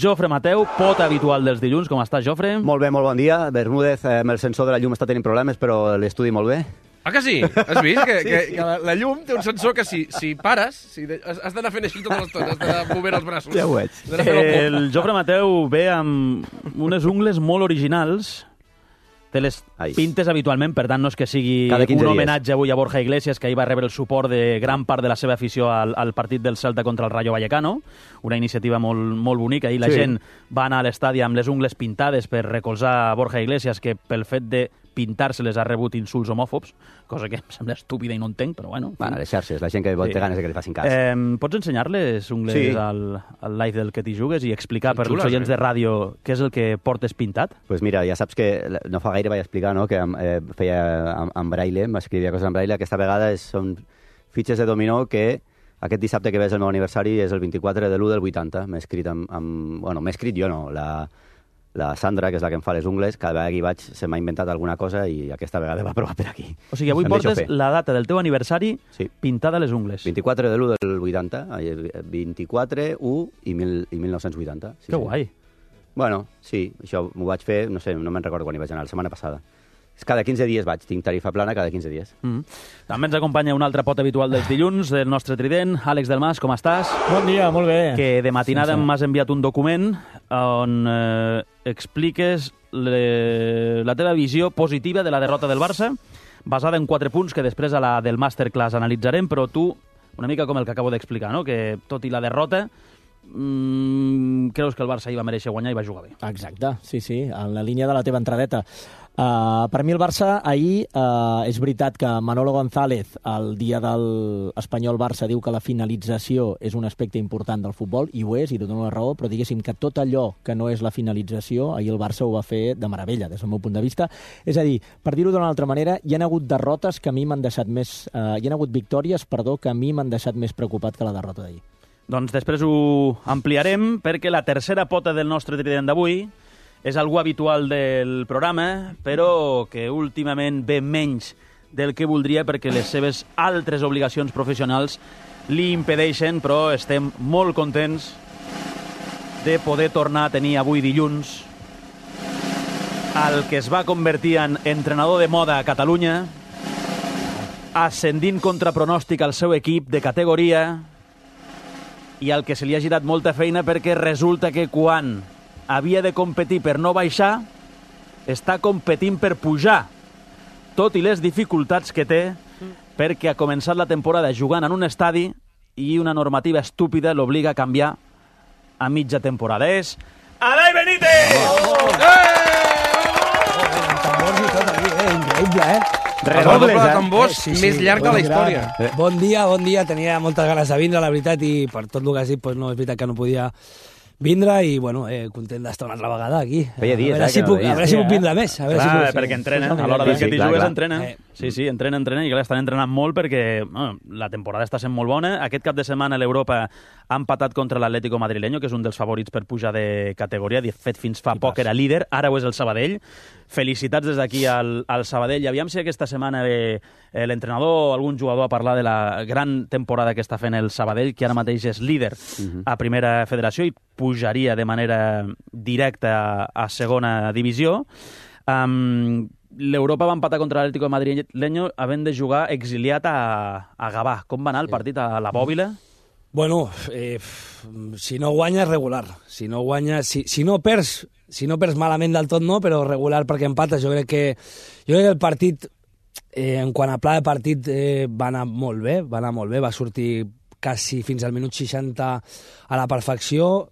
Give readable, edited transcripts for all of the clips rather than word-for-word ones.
Jofre Mateu, pot habitual dels dilluns. Com estàs, Jofre? Molt bé, molt bon dia. Bermúdez, amb el sensor de la llum està tenint problemes, però l'estudi molt bé. Ah, que sí? Has vist? Que la llum té un sensor que si pares, has d'anar fent així tota l'estona, has d'anar movent els braços. Ja ho veig. El Jofre Mateu ve amb unes ungles molt originals. Té les pintes habitualment, per tant no és que sigui un homenatge avui a Borja Iglesias, que ahir va rebre el suport de gran part de la seva afició al partit del Celta contra el Rayo Vallecano, una iniciativa molt bonica. Ahir la gent va anar a l'estadi amb les ungles pintades per recolzar Borja Iglesias, que pel fet de pintar-se-les ha rebut insults homòfobs, cosa que em sembla estúpida i no entenc, però bueno. Van a les xarxes, la gent que té ganes de que li facin cas. Pots ensenyar-les ungles al live del Que t'hi jugues i explicar per als oients de ràdio què és el que portes pintat? Pues mira, ja saps que no fa gaire vaig explicar, no?, que feia en braille, m'escrivia coses en braille. Aquesta vegada són fitxes de dominó que aquest dissabte que ve és el meu aniversari, és el 24 de l'1 del 80. M'he escrit bueno, m'he escrit jo, no, la Sandra, que és la que em fa les ungles, cada vegada que hi vaig se m'ha inventat alguna cosa i aquesta vegada va provar per aquí. O sigui, avui portes la data del teu aniversari pintada a les ungles. 24 de l'1 del 80, 24, 1 i 1980. Que guai. Bueno, sí, això m'ho vaig fer, no sé, no me'n recordo quan hi vaig anar, la setmana passada. Cada 15 dies vaig, tinc tarifa plana cada 15 dies. També ens acompanya un altre pot habitual dels dilluns, del nostre trident, Àlex Delmas, com estàs? Bon dia, molt bé. Que de matinada m'has enviat un document on expliques la teva visió positiva de la derrota del Barça, basada en 4 punts que després a la del masterclass analitzarem, però tu, una mica com el que acabo d'explicar, no?, que tot i la derrota creus que el Barça hi va mereixer guanyar i va jugar bé. Exacte, sí, en la línia de la teva entradeta. Per mi el Barça ahir, és veritat que Manolo González el dia del Espanyol-Barça diu que la finalització és un aspecte important del futbol, i ho és, i te dono la raó, però diguéssim que tot allò que no és la finalització, ahir el Barça ho va fer de meravella, des del meu punt de vista. És a dir, per dir-ho d'una altra manera, hi ha hagut derrotes que a mi m'han deixat més... hi ha hagut victòries, que a mi m'han deixat més preocupat que la derrota d'ahir. Doncs després ho ampliarem, perquè la tercera pota del nostre trident d'avui és algú habitual del programa, però que últimament ve menys del que voldria perquè les seves altres obligacions professionals li impedeixen, però estem molt contents de poder tornar a tenir avui dilluns el que es va convertir en entrenador de moda a Catalunya, ascendint contra pronòstic al seu equip de categoria, i al que se li ha girat molta feina perquè resulta que quan havia de competir per no baixar, està competint per pujar, tot i les dificultats que té, perquè ha començat la temporada jugant en un estadi i una normativa estúpida l'obliga a canviar a mitja temporada. És Adai Benítez! Tambors i tot aquí, increïble, Redobles, de tambors més llarg de la història. Bon dia, tenia moltes ganes de vindre, la veritat, i per tot el que has dit, no, és veritat que no podia vindre i, bueno, content d'estar una altra vegada aquí. Feia dies, a veure si puc vindre més. Clar, perquè entrenen, a l'hora del que t'hi jugues entrenen. Sí, entrenen, i clar, estan entrenant molt perquè la temporada està sent molt bona. Aquest cap de setmana l'Europa ha empatat contra l'Atlético Madrileño, que és un dels favorits per pujar de categoria. De fet, fins fa poc era líder, ara ho és el Sabadell. Felicitats des d'aquí al Sabadell. I aviam si aquesta setmana ve l'entrenador o algun jugador a parlar de la gran temporada que està fent el Sabadell, que ara mateix és líder a Primera Federació i pujaria de manera directa a Segona Divisió. L'Europa va empatar contra l'Atlético de Madrileño havent de jugar exiliat a Gavà. Com va anar el partit a la Bòbila? Bueno, si no guanyes, regular. Si no guanyes, si no perds malament del tot no, però regular perquè empates. Jo crec que el partit, en quant a pla de partit, va anar molt bé, va sortir quasi fins al minut 60 a la perfecció.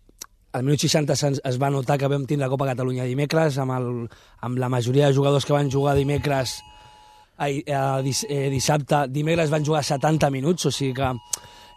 Al minut 60 es va notar que vam tindre la Copa Catalunya dimecres, amb la majoria de jugadors que van jugar dimecres, dissabte, dimecres van jugar 70 minuts, o sigui que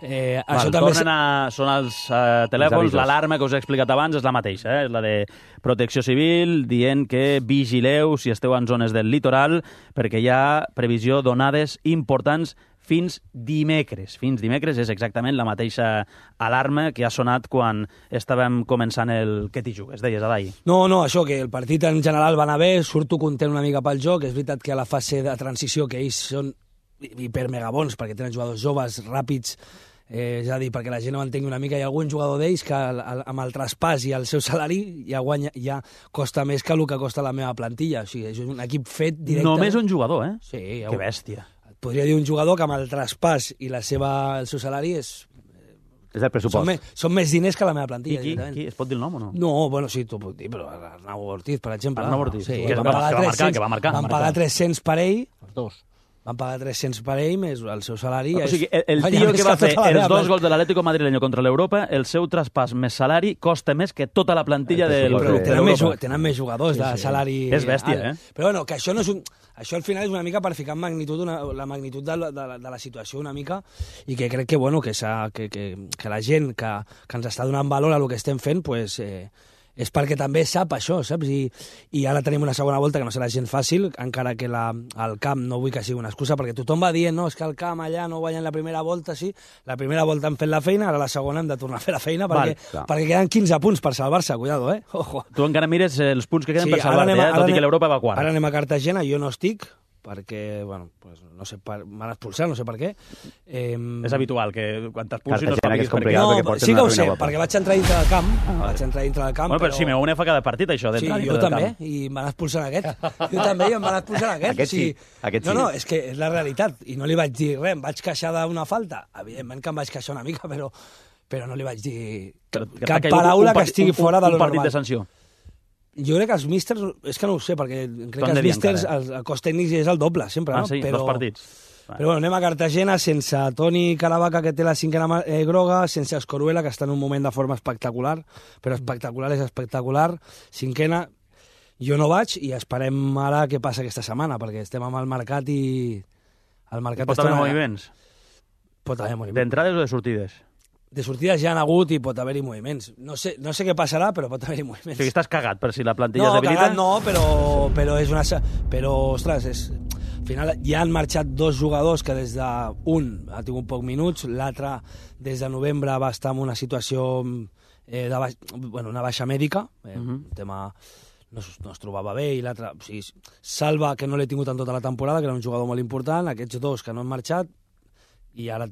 això també... Són els telèfons, l'alarma que us he explicat abans és la mateixa, és la de Protecció Civil, dient que vigileu si esteu en zones del litoral, perquè hi ha previsió d'onades importants fins dimecres. Fins dimecres és exactament la mateixa alarma que ha sonat quan estàvem començant el Que t'hi jugues, deies, Adai. No, això, que el partit en general va anar bé, surto content una mica pel joc, és veritat que a la fase de transició, que ells són hipermegabons, perquè tenen jugadors joves, ràpids, És a dir, perquè la gent no entengui una mica, hi ha algun jugador d'ells que amb el traspàs i el seu salari ja costa més que el que costa la meva plantilla. O sigui, és un equip fet directe... Només un jugador, eh? Sí. Que bèstia. Podria dir un jugador que amb el traspàs i el seu salari és el pressupost. Són més diners que la meva plantilla. Qui? Es pot dir el nom o no? No, bueno, sí, t'ho puc dir, però Arnau Ortiz, per exemple. Arnau Ortiz, sí, que va marcar. Van pagar 300 per ell. Els dos. Van pagar 300 per ell més el seu salari. O sigui, el tio que va fer els 2 gols de l'Atlético madrileño contra l'Europa, el seu traspàs més salari costa més que tota la plantilla del club. Tenen més jugadors de salari... És bèstia, eh? Però bueno, que això no és un... Això al final és una mica per ficar en magnitud la magnitud de la situació una mica, i que crec que, bueno, que la gent que ens està donant valor a el que estem fent, pues, és perquè també sap això, saps? I ara tenim una segona volta que no serà gens fàcil, encara que el camp no vull que sigui una excusa, perquè tothom va dient, no, és que el camp allà no guanyen la primera volta, sí, la primera volta hem fet la feina, ara la segona hem de tornar a fer la feina, perquè queden 15 punts per salvar-se, cuidado, Ojo. Tu encara mires els punts que queden per salvar-te, tot i que l'Europa va quart. Ara anem a Cartagena, jo no estic, perquè, bueno, pues, no sé, m'han expulsat, no sé per què. És habitual que quan t'expulsin no sapiguis per què. No, sí que ho sé, perquè vaig entrar dintre del camp. Bueno, però Simeone fa cada partit, això, d'entrar dintre del camp. Sí, jo també, i em van expulsar aquest. Jo també, i em van expulsar aquest. Aquest sí. No, és que és la realitat, i no li vaig dir res, em vaig queixar d'una falta. Evidentment que em vaig queixar una mica, però no li vaig dir cap paraula que estigui fora de lo normal. Un partit de sanció. Jo crec que els místers, és que no ho sé, perquè crec que els místers, el cost tècnic és el doble, sempre, no? Sí, dos partits. Però bueno, anem a Cartagena sense Toni Caravaca, que té la 5a groga, sense Escoruela, que està en un moment de forma espectacular, però espectacular és espectacular. 5a, jo no vaig, i esperem ara què passa aquesta setmana, perquè estem amb el mercat i... Pot haver moviments? Pot haver moviments. D'entrades o de sortides? De sortides ja han hagut i pot haver-hi moviments. No sé què passarà, però pot haver-hi moviments. O sigui, estàs cagat per si la plantilla es debilita? No, però és una... Però, ostres, al final ja han marxat 2 jugadors que des d'un ha tingut pocs minuts, l'altre des de novembre va estar en una situació una baixa mèdica, un tema... No es trobava bé, i l'altre... O sigui, Salva, que no l'he tingut en tota la temporada, que era un jugador molt important, aquests 2 que no han marxat, i ara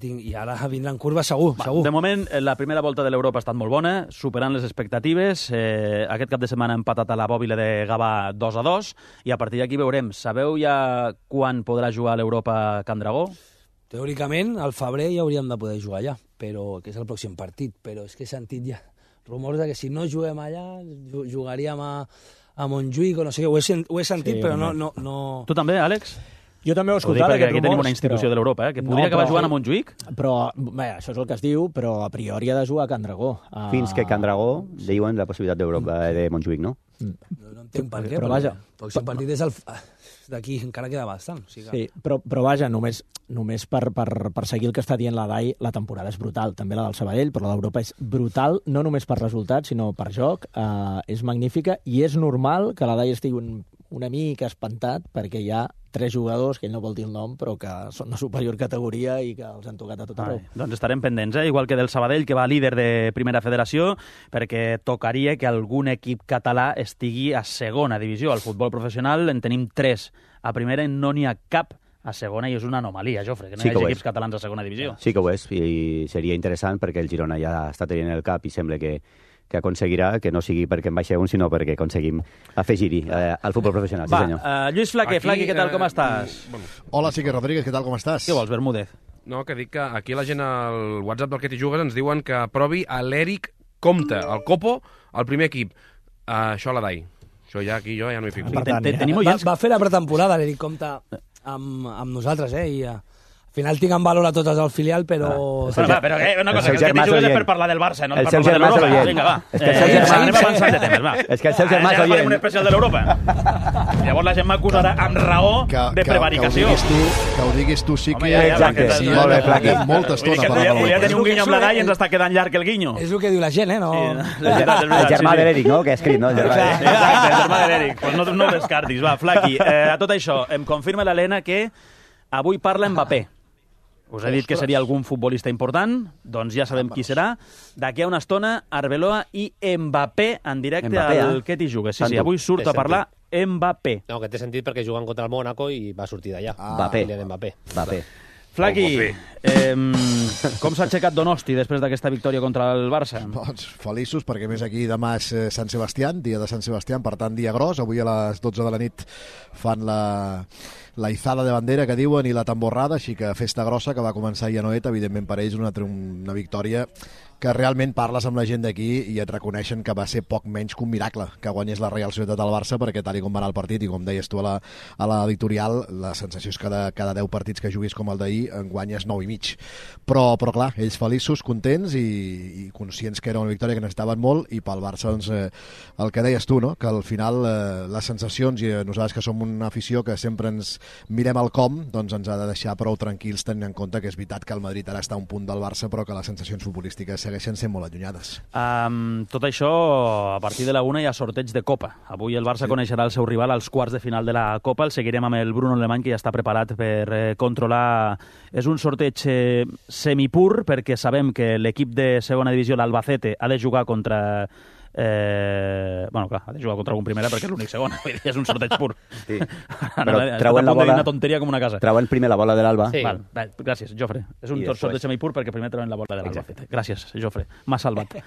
vindran curves segur. De moment, la primera volta de l'Europa ha estat molt bona, superant les expectatives. Aquest cap de setmana ha empatat a la Bòbila de Gavà 2-2, i a partir d'aquí veurem. Sabeu ja quan podrà jugar a l'Europa Can Dragó? Teòricament, al febrer ja hauríem de poder jugar allà, que és el pròxim partit, però és que he sentit ja rumors de que si no juguem allà, jugaríem a Montjuïc o no sé què. Ho he sentit, sí, però no... Tu també, Àlex? Jo també ho he escoltat, perquè aquí tenim una institució de l'Europa, que podria acabar jugant a Montjuïc. Però, bé, això és el que es diu, però a priori ha de jugar a Can Dragó. Fins que Can Dragó diuen la possibilitat d'Europa de Montjuïc, no? No entenc per què, però vaja. El pròxim partit és d'aquí, encara queda bastant. Sí, però vaja, només per seguir el que està dient la DAI, la temporada és brutal, també la del Sabadell, però l'Europa és brutal, no només per resultats, sinó per joc, és magnífica, i és normal que la DAI estigui una mica espantat, perquè hi ha 3 jugadors, que ell no vol dir el nom, però que són de superior categoria i que els han tocat a tot arreu. Doncs estarem pendents, igual que del Sabadell, que va líder de Primera Federació, perquè tocaria que algun equip català estigui a segona divisió. Al futbol professional en tenim 3 a primera i no n'hi ha cap a segona, i és una anomalia, Jofre, que no hi hagi equips catalans a segona divisió. Sí que ho és, i seria interessant perquè el Girona ja està tenint el cap i sembla que aconseguirà, que no sigui perquè en baixa un, sinó perquè aconseguim afegir-hi al futbol professional. Sí, senyor. Lluís Flaque, què tal, com estàs? Hola, Sique Rodríguez, què tal, com estàs? Què vols, Bermúdez? No, que dic que aquí la gent al WhatsApp del Que t'hi jugues ens diuen que aprovi a l'Eric Comte, el Copo, al primer equip. Això a la DAI. Això ja aquí jo ja no hi fico. Va fer la pretemporada l'Eric Comte amb nosaltres, i... Al final tinc en valor a totes el filial, però... Però una cosa, que el Que t'hi jugues és per parlar del Barça, no per parlar de l'Europa. Vinga, va. Anem avançant de temes, va. És que el seu germà és oient. Farem un especial de l'Europa. Llavors la gent m'acusarà amb raó de prevaricació. Que ho diguis tu, sí que... Exacte, molt bé, Flaqui. Molta estona per la volia tenir un guinyo amb la DAI i ens està quedant llarg el guinyo. És el que diu la gent, no? El germà de l'Eric, no?, que ha escrit, no? Exacte, el germà de l'Eric. No ho descartis, va, Flaqui. A tot això, em confirma l'Helena que avui parla Mbappé. Us he dit que seria algun futbolista important, doncs ja sabem qui serà. D'aquí a una estona, Arbeloa i Mbappé en directe al Que t'hi jugues. Sí, avui surt a parlar Mbappé. No, que té sentit perquè juguen contra el Mónaco i va sortir d'allà. Mbappé. Flaqui, com s'ha aixecat Donosti després d'aquesta victòria contra el Barça? Doncs feliços, perquè més aquí demà és Sant Sebastián, dia de Sant Sebastián, per tant dia gros. Avui a les 12 de la nit fan la izada de bandera, que diuen, i la tamborrada, així que festa grossa que va començar ahir a Noeta. Evidentment per ells una victòria que realment parles amb la gent d'aquí i et reconeixen que va ser poc menys que un miracle que guanyés la Real Societat al Barça, perquè tal com va anar el partit, i com deies tu a l'editorial, la sensació és que cada 10 partits que juguis com el d'ahir en guanyes 9 i mig. Però clar, ells feliços, contents i conscients que era una victòria que necessitaven molt, i pel Barça, doncs, el que deies tu, no? Que al final les sensacions, i nosaltres que som una afició que sempre ens mirem el com, doncs ens ha de deixar prou tranquils, tenint en compte que és veritat que el Madrid ara està a un punt del Barça, però que les sensacions futbolístiques segueixen sent molt allunyades. Tot això, a partir de la 1 hi ha sorteig de Copa. Avui el Barça coneixerà el seu rival als quarts de final de la Copa. El seguirem amb el Bruno Alemany, que ja està preparat per controlar. És un sorteig semipur, perquè sabem que l'equip de segona divisió, l'Albacete, ha de jugar contra... bueno, clar, ha de jugar contra algun primera perquè és l'únic segon, és un sorteig pur. Sí. Però treuen la bola... Una tonteria com una casa. Treuen primer la bola de l'Alba. Sí. Val, gràcies, Jofre. És un sorteig semipur perquè primer treuen la bola de l'Alba. Gràcies, Jofre. M'ha salvat.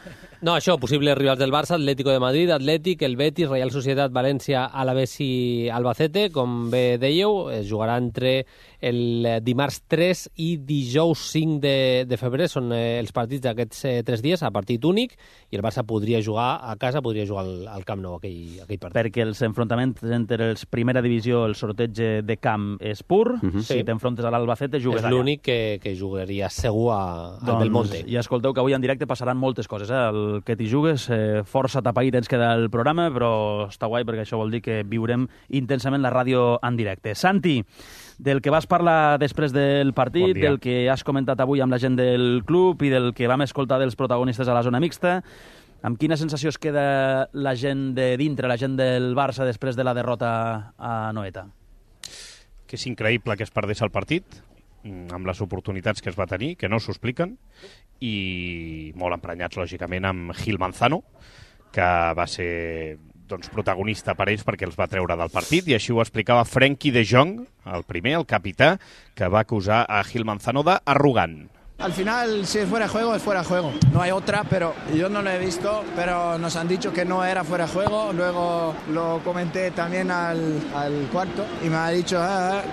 No, això, possibles rivals del Barça, Atlético de Madrid, Atlètic, el Betis, Real Societat, València, Alavés i Albacete, com bé dèieu, es jugarà entre el dimarts 3 i dijous 5 de febrer. Són els partits d'aquests 3 dies, a partit únic, i el Barça podria jugar a casa, podria jugar al Camp Nou aquell partit. Perquè els enfrontaments entre els primera divisió, el sorteig de camp és pur. Si t'enfrontes a l'Albacete, jugues allà. És l'únic que jugaria segur al Belmonte. I escolteu que avui en directe passaran moltes coses. El que t'hi jugues, força tapaït ens queda el programa, però està guai perquè això vol dir que viurem intensament la ràdio en directe. Santi, del que vas parlar després del partit, del que has comentat avui amb la gent del club i del que vam escoltar dels protagonistes a la zona mixta, amb quina sensació es queda la gent de dintre, la gent del Barça, després de la derrota a Noeta? Que és increïble que es perdés el partit, amb les oportunitats que es va tenir, que no s'ho expliquen, i molt emprenyats, lògicament, amb Gil Manzano, que va ser protagonista per ells perquè els va treure del partit, i així ho explicava Frenkie de Jong, el primer, el capità, que va acusar a Gil Manzano d'arrogant. Al final, si es fuera de juego, es fuera de juego. No hay otra, pero yo no lo he visto, pero nos han dicho que no era fuera de juego. Luego lo comenté también al cuarto y me ha dicho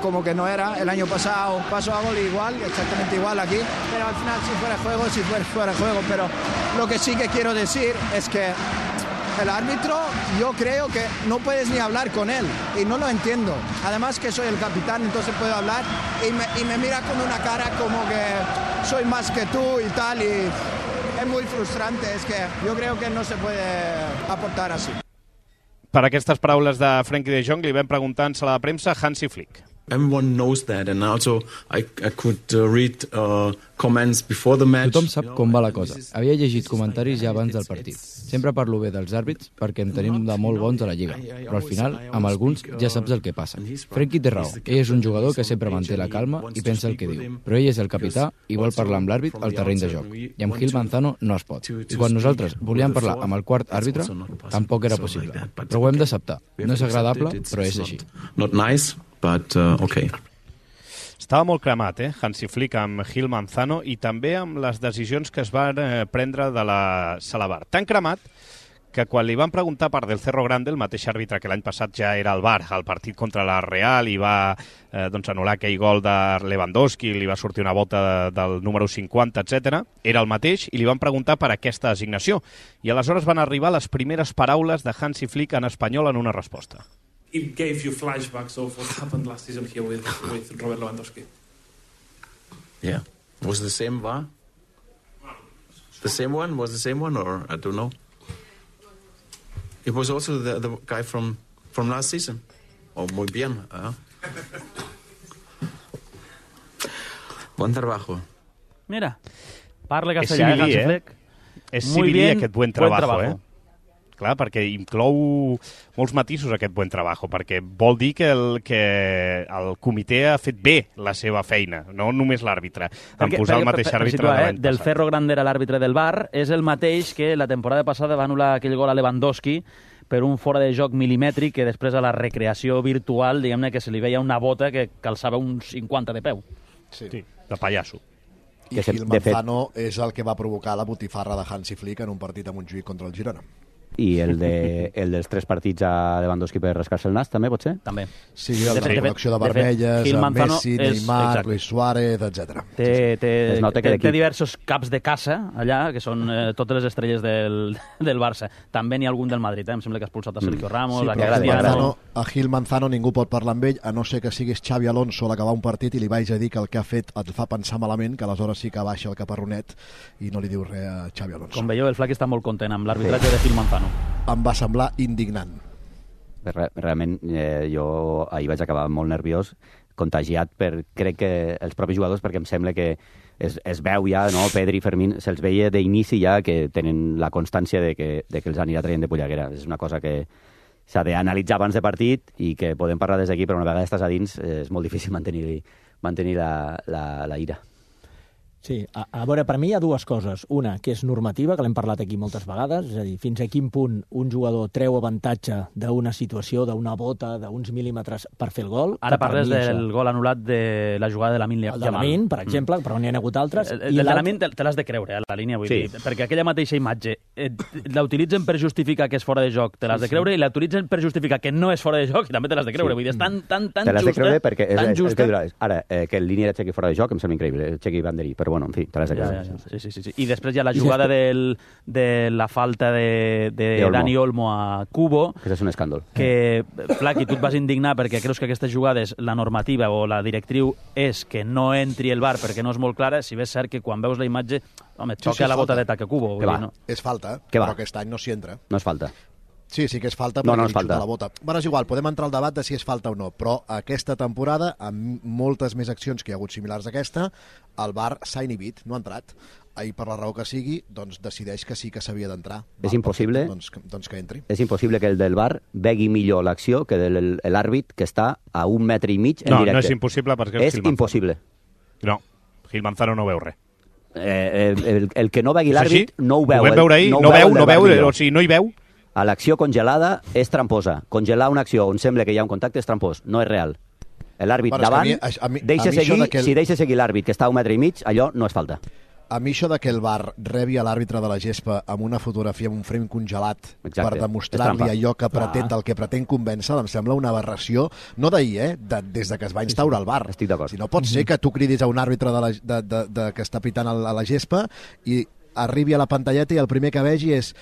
como que no era. El año pasado pasó a gol igual, exactamente igual aquí. Pero al final, si fuera de juego, si fuera de juego. Pero lo que sí que quiero decir es que el árbitro, yo creo que no puedes ni hablar con él y no lo entiendo. Además que soy el capitán, entonces puedo hablar y me mira con una cara como que soy más que tú y tal, y es muy frustrante. Es que yo creo que no se puede aportar así. Per aquestes paraules de Frenkie de Jong li vam preguntar en sala de premsa a Hansi Flick. Everyone knows that, and also I could read comments before the match. Tothom sap com va la cosa. Havia llegit comentaris ja abans del partit. Sempre parlo bé dels àrbits perquè en tenim de molt bons a la Lliga, però al final, amb alguns, ja saps el que passa. Frenkie té raó. Ell és un jugador que sempre manté la calma i pensa el que diu, però ell és el capità i vol parlar amb l'àrbit al terreny de joc. I amb Gil Manzano no es pot. I quan nosaltres volíem parlar amb el quart àrbitre, tampoc era possible. Però ho hem d'acceptar. No és agradable, però és així. Not nice, but okay. Estava molt cremat, Hansi Flick amb Gil Manzano i també amb les decisions que es van prendre de la Sala VAR. Tan cremat que quan li van preguntar per Del Cerro Grande, el mateix àrbitre que l'any passat ja era al VAR, al partit contra la Real, i va anul·lar aquell gol de Lewandowski, li va sortir una volta del número 50, etc. Era el mateix, i li van preguntar per aquesta designació. I aleshores van arribar les primeres paraules de Hansi Flick en espanyol en una resposta. It gave you flashbacks of what happened last season here with Robert Lewandowski. Yeah. Was the same VAR? The same one? Was the same one, or I don't know. It was also the guy from last season. Oh, muy bien. Buen trabajo. Mira, parla castellà, Hansi Flick. És civilí aquest buen trabajo, Clar, perquè inclou molts matisos aquest buen trabajo, perquè vol dir que el comitè ha fet bé la seva feina, no només l'àrbitre, en posar el mateix àrbitre de l'any passat. Del Cerro Grande era l'àrbitre del VAR, és el mateix que la temporada passada va anul·lar aquell gol a Lewandowski per un fora de joc milimètric que després a la recreació virtual, diguem-ne, que se li veia una bota que calçava uns 50 de peu. Sí. De pallasso. I Gil Manzano és el que va provocar la botifarra de Hansi Flick en un partit a Montjuïc contra el Girona. I el dels 3 partits a Lewandowski per rascar-se el nas, també, pot ser? També. Sí, la col·lecció de vermelles, Messi, Neymar, Luis Suárez, etc. Té diversos caps de caça allà, que són totes les estrelles del Barça. També n'hi ha algun del Madrid, em sembla que ha expulsat a Sergio Ramos, a Cristiano. A Gil Manzano ningú pot parlar amb ell, a no ser que siguis Xavi Alonso a l'acabar un partit i li vaig a dir que el que ha fet et fa pensar malament, que aleshores sí que baixa el caparronet i no li diu res a Xavi Alonso. Com veieu, el Flac està molt content amb l'arbitratge de Gil Manzano. Em va semblar indignant. Realment, jo ahir vaig acabar molt nerviós, contagiat per, crec que els propis jugadors, perquè em sembla que es veu ja, no? Pedri i Fermín, se'ls veia d'inici ja que tenen la constància de que els anirà traient de polleguera. És una cosa que s'ha d'analitzar abans de partit i que podem parlar des d'aquí, però una vegada estàs a dins és molt difícil mantenir la ira. Sí, a veure, per mi hi ha dues coses. Una, que és normativa, que l'hem parlat aquí moltes vegades, és a dir, fins a quin punt un jugador treu avantatge d'una situació, d'una bota, d'uns mil·límetres per fer el gol. Ara parles del gol anul·lat de la jugada de Lamine Yamal. El de Lamine, per exemple, però n'hi ha hagut altres. El de Lamine te l'has de creure, a la línia, vull dir, perquè aquella mateixa imatge la utilitzen per justificar que és fora de joc, te l'has de creure, i la utilitzen per justificar que no és fora de joc, i també te l'has de creure. Vull dir, és tan justa. Te l'has de creure perquè ara, que el línia era Chequi fora de joc, em sembla increïble, Chequi Banderí, però bueno, en fi, te l'has de creure. Sí. I després hi ha la jugada de la falta de Dani Olmo a Kubo. Que és un escàndol. Que, Flaqui, tu et vas indignar perquè creus que aquestes jugades, la normativa o la directriu és que no entri el VAR perquè no és molt clara, si bé és cert que quan veus la imatge, home, et toca la bota de taca Kubo. És falta, però aquest any no s'hi entra. No és falta. Sí que és falta, perquè li xuta la bota. Bueno, és igual, podem entrar al debat de si és falta o no, però aquesta temporada, amb moltes més accions que hi ha hagut similars a aquesta, el VAR s'ha inhibit, no ha entrat. I per la raó que sigui, doncs decideix que sí que s'havia d'entrar. És impossible, doncs que entri. És impossible que el del VAR vegui millor l'acció que l'àrbit que està a 1,5 metre en directe. No és impossible perquè és impossible. No, Gil Manzano no veu res. El que no vegui l'àrbit no ho veu. Ho vam veure ahir, no veu, o sigui, no hi veu. A l'acció congelada és tramposa. Congelar una acció on sembla que hi ha un contacte és trampós, no és real. L'àrbit davant, si deixa seguir l'àrbit que està a 1,5 metre, allò no és falta. A mi això de que el VAR rebi a l'àrbitre de la gespa amb una fotografia, amb un frame congelat, per demostrar-li allò que pretén, del que pretén convèncer, em sembla una aberració, no d'ahir, des de que es va instaurar el VAR. Estic d'acord. Si no pot ser que tu cridis a un àrbitre que està pitant a la gespa i arribi a la pantalleta i el primer que vegi és...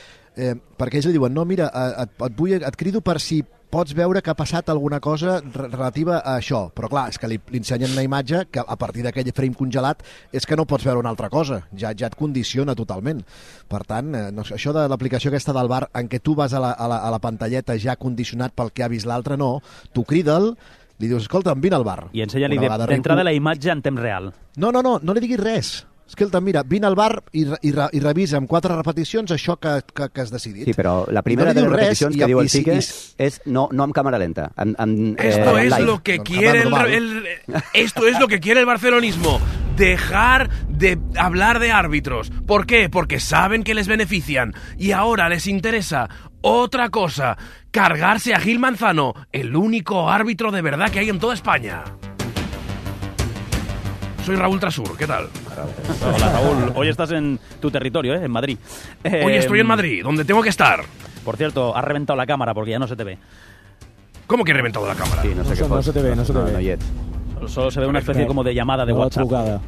perquè ells li diuen, no, mira, et crido per si pots veure que ha passat alguna cosa relativa a això. Però clar, és que li ensenyen una imatge que a partir d'aquell frame congelat és que no pots veure una altra cosa. Ja et condiciona totalment. Per tant, això de l'aplicació aquesta del VAR en què tu vas a la pantalleta ja condicionat pel que ha vist l'altre, no. Tu crida'l, li dius, escolta, vine al VAR. I ensenya-li d'entrada la imatge en temps real. No li diguis res. Escolta, mira, vine al VAR i revisa amb 4 repeticions això que has decidit. Sí, però la primera de les repeticions que diu el Quique és no amb càmera lenta. Esto es lo que quiere esto es lo que quiere el barcelonismo. Dejar de hablar de árbitros. ¿Por qué? Porque saben que les benefician. Y ahora les interesa otra cosa. Cargarse a Gil Manzano, el único árbitro de verdad que hay en toda España. Soy Raúl Trasur, ¿qué tal? Hola, Raúl. Hoy estás en tu territorio, en Madrid. Hoy estoy en Madrid, donde tengo que estar. Por cierto, has reventado la cámara porque ya no se te ve. ¿Cómo que he reventado la cámara? Sí, no se te ve. Solo se ve una especie como de llamada de WhatsApp. Hola.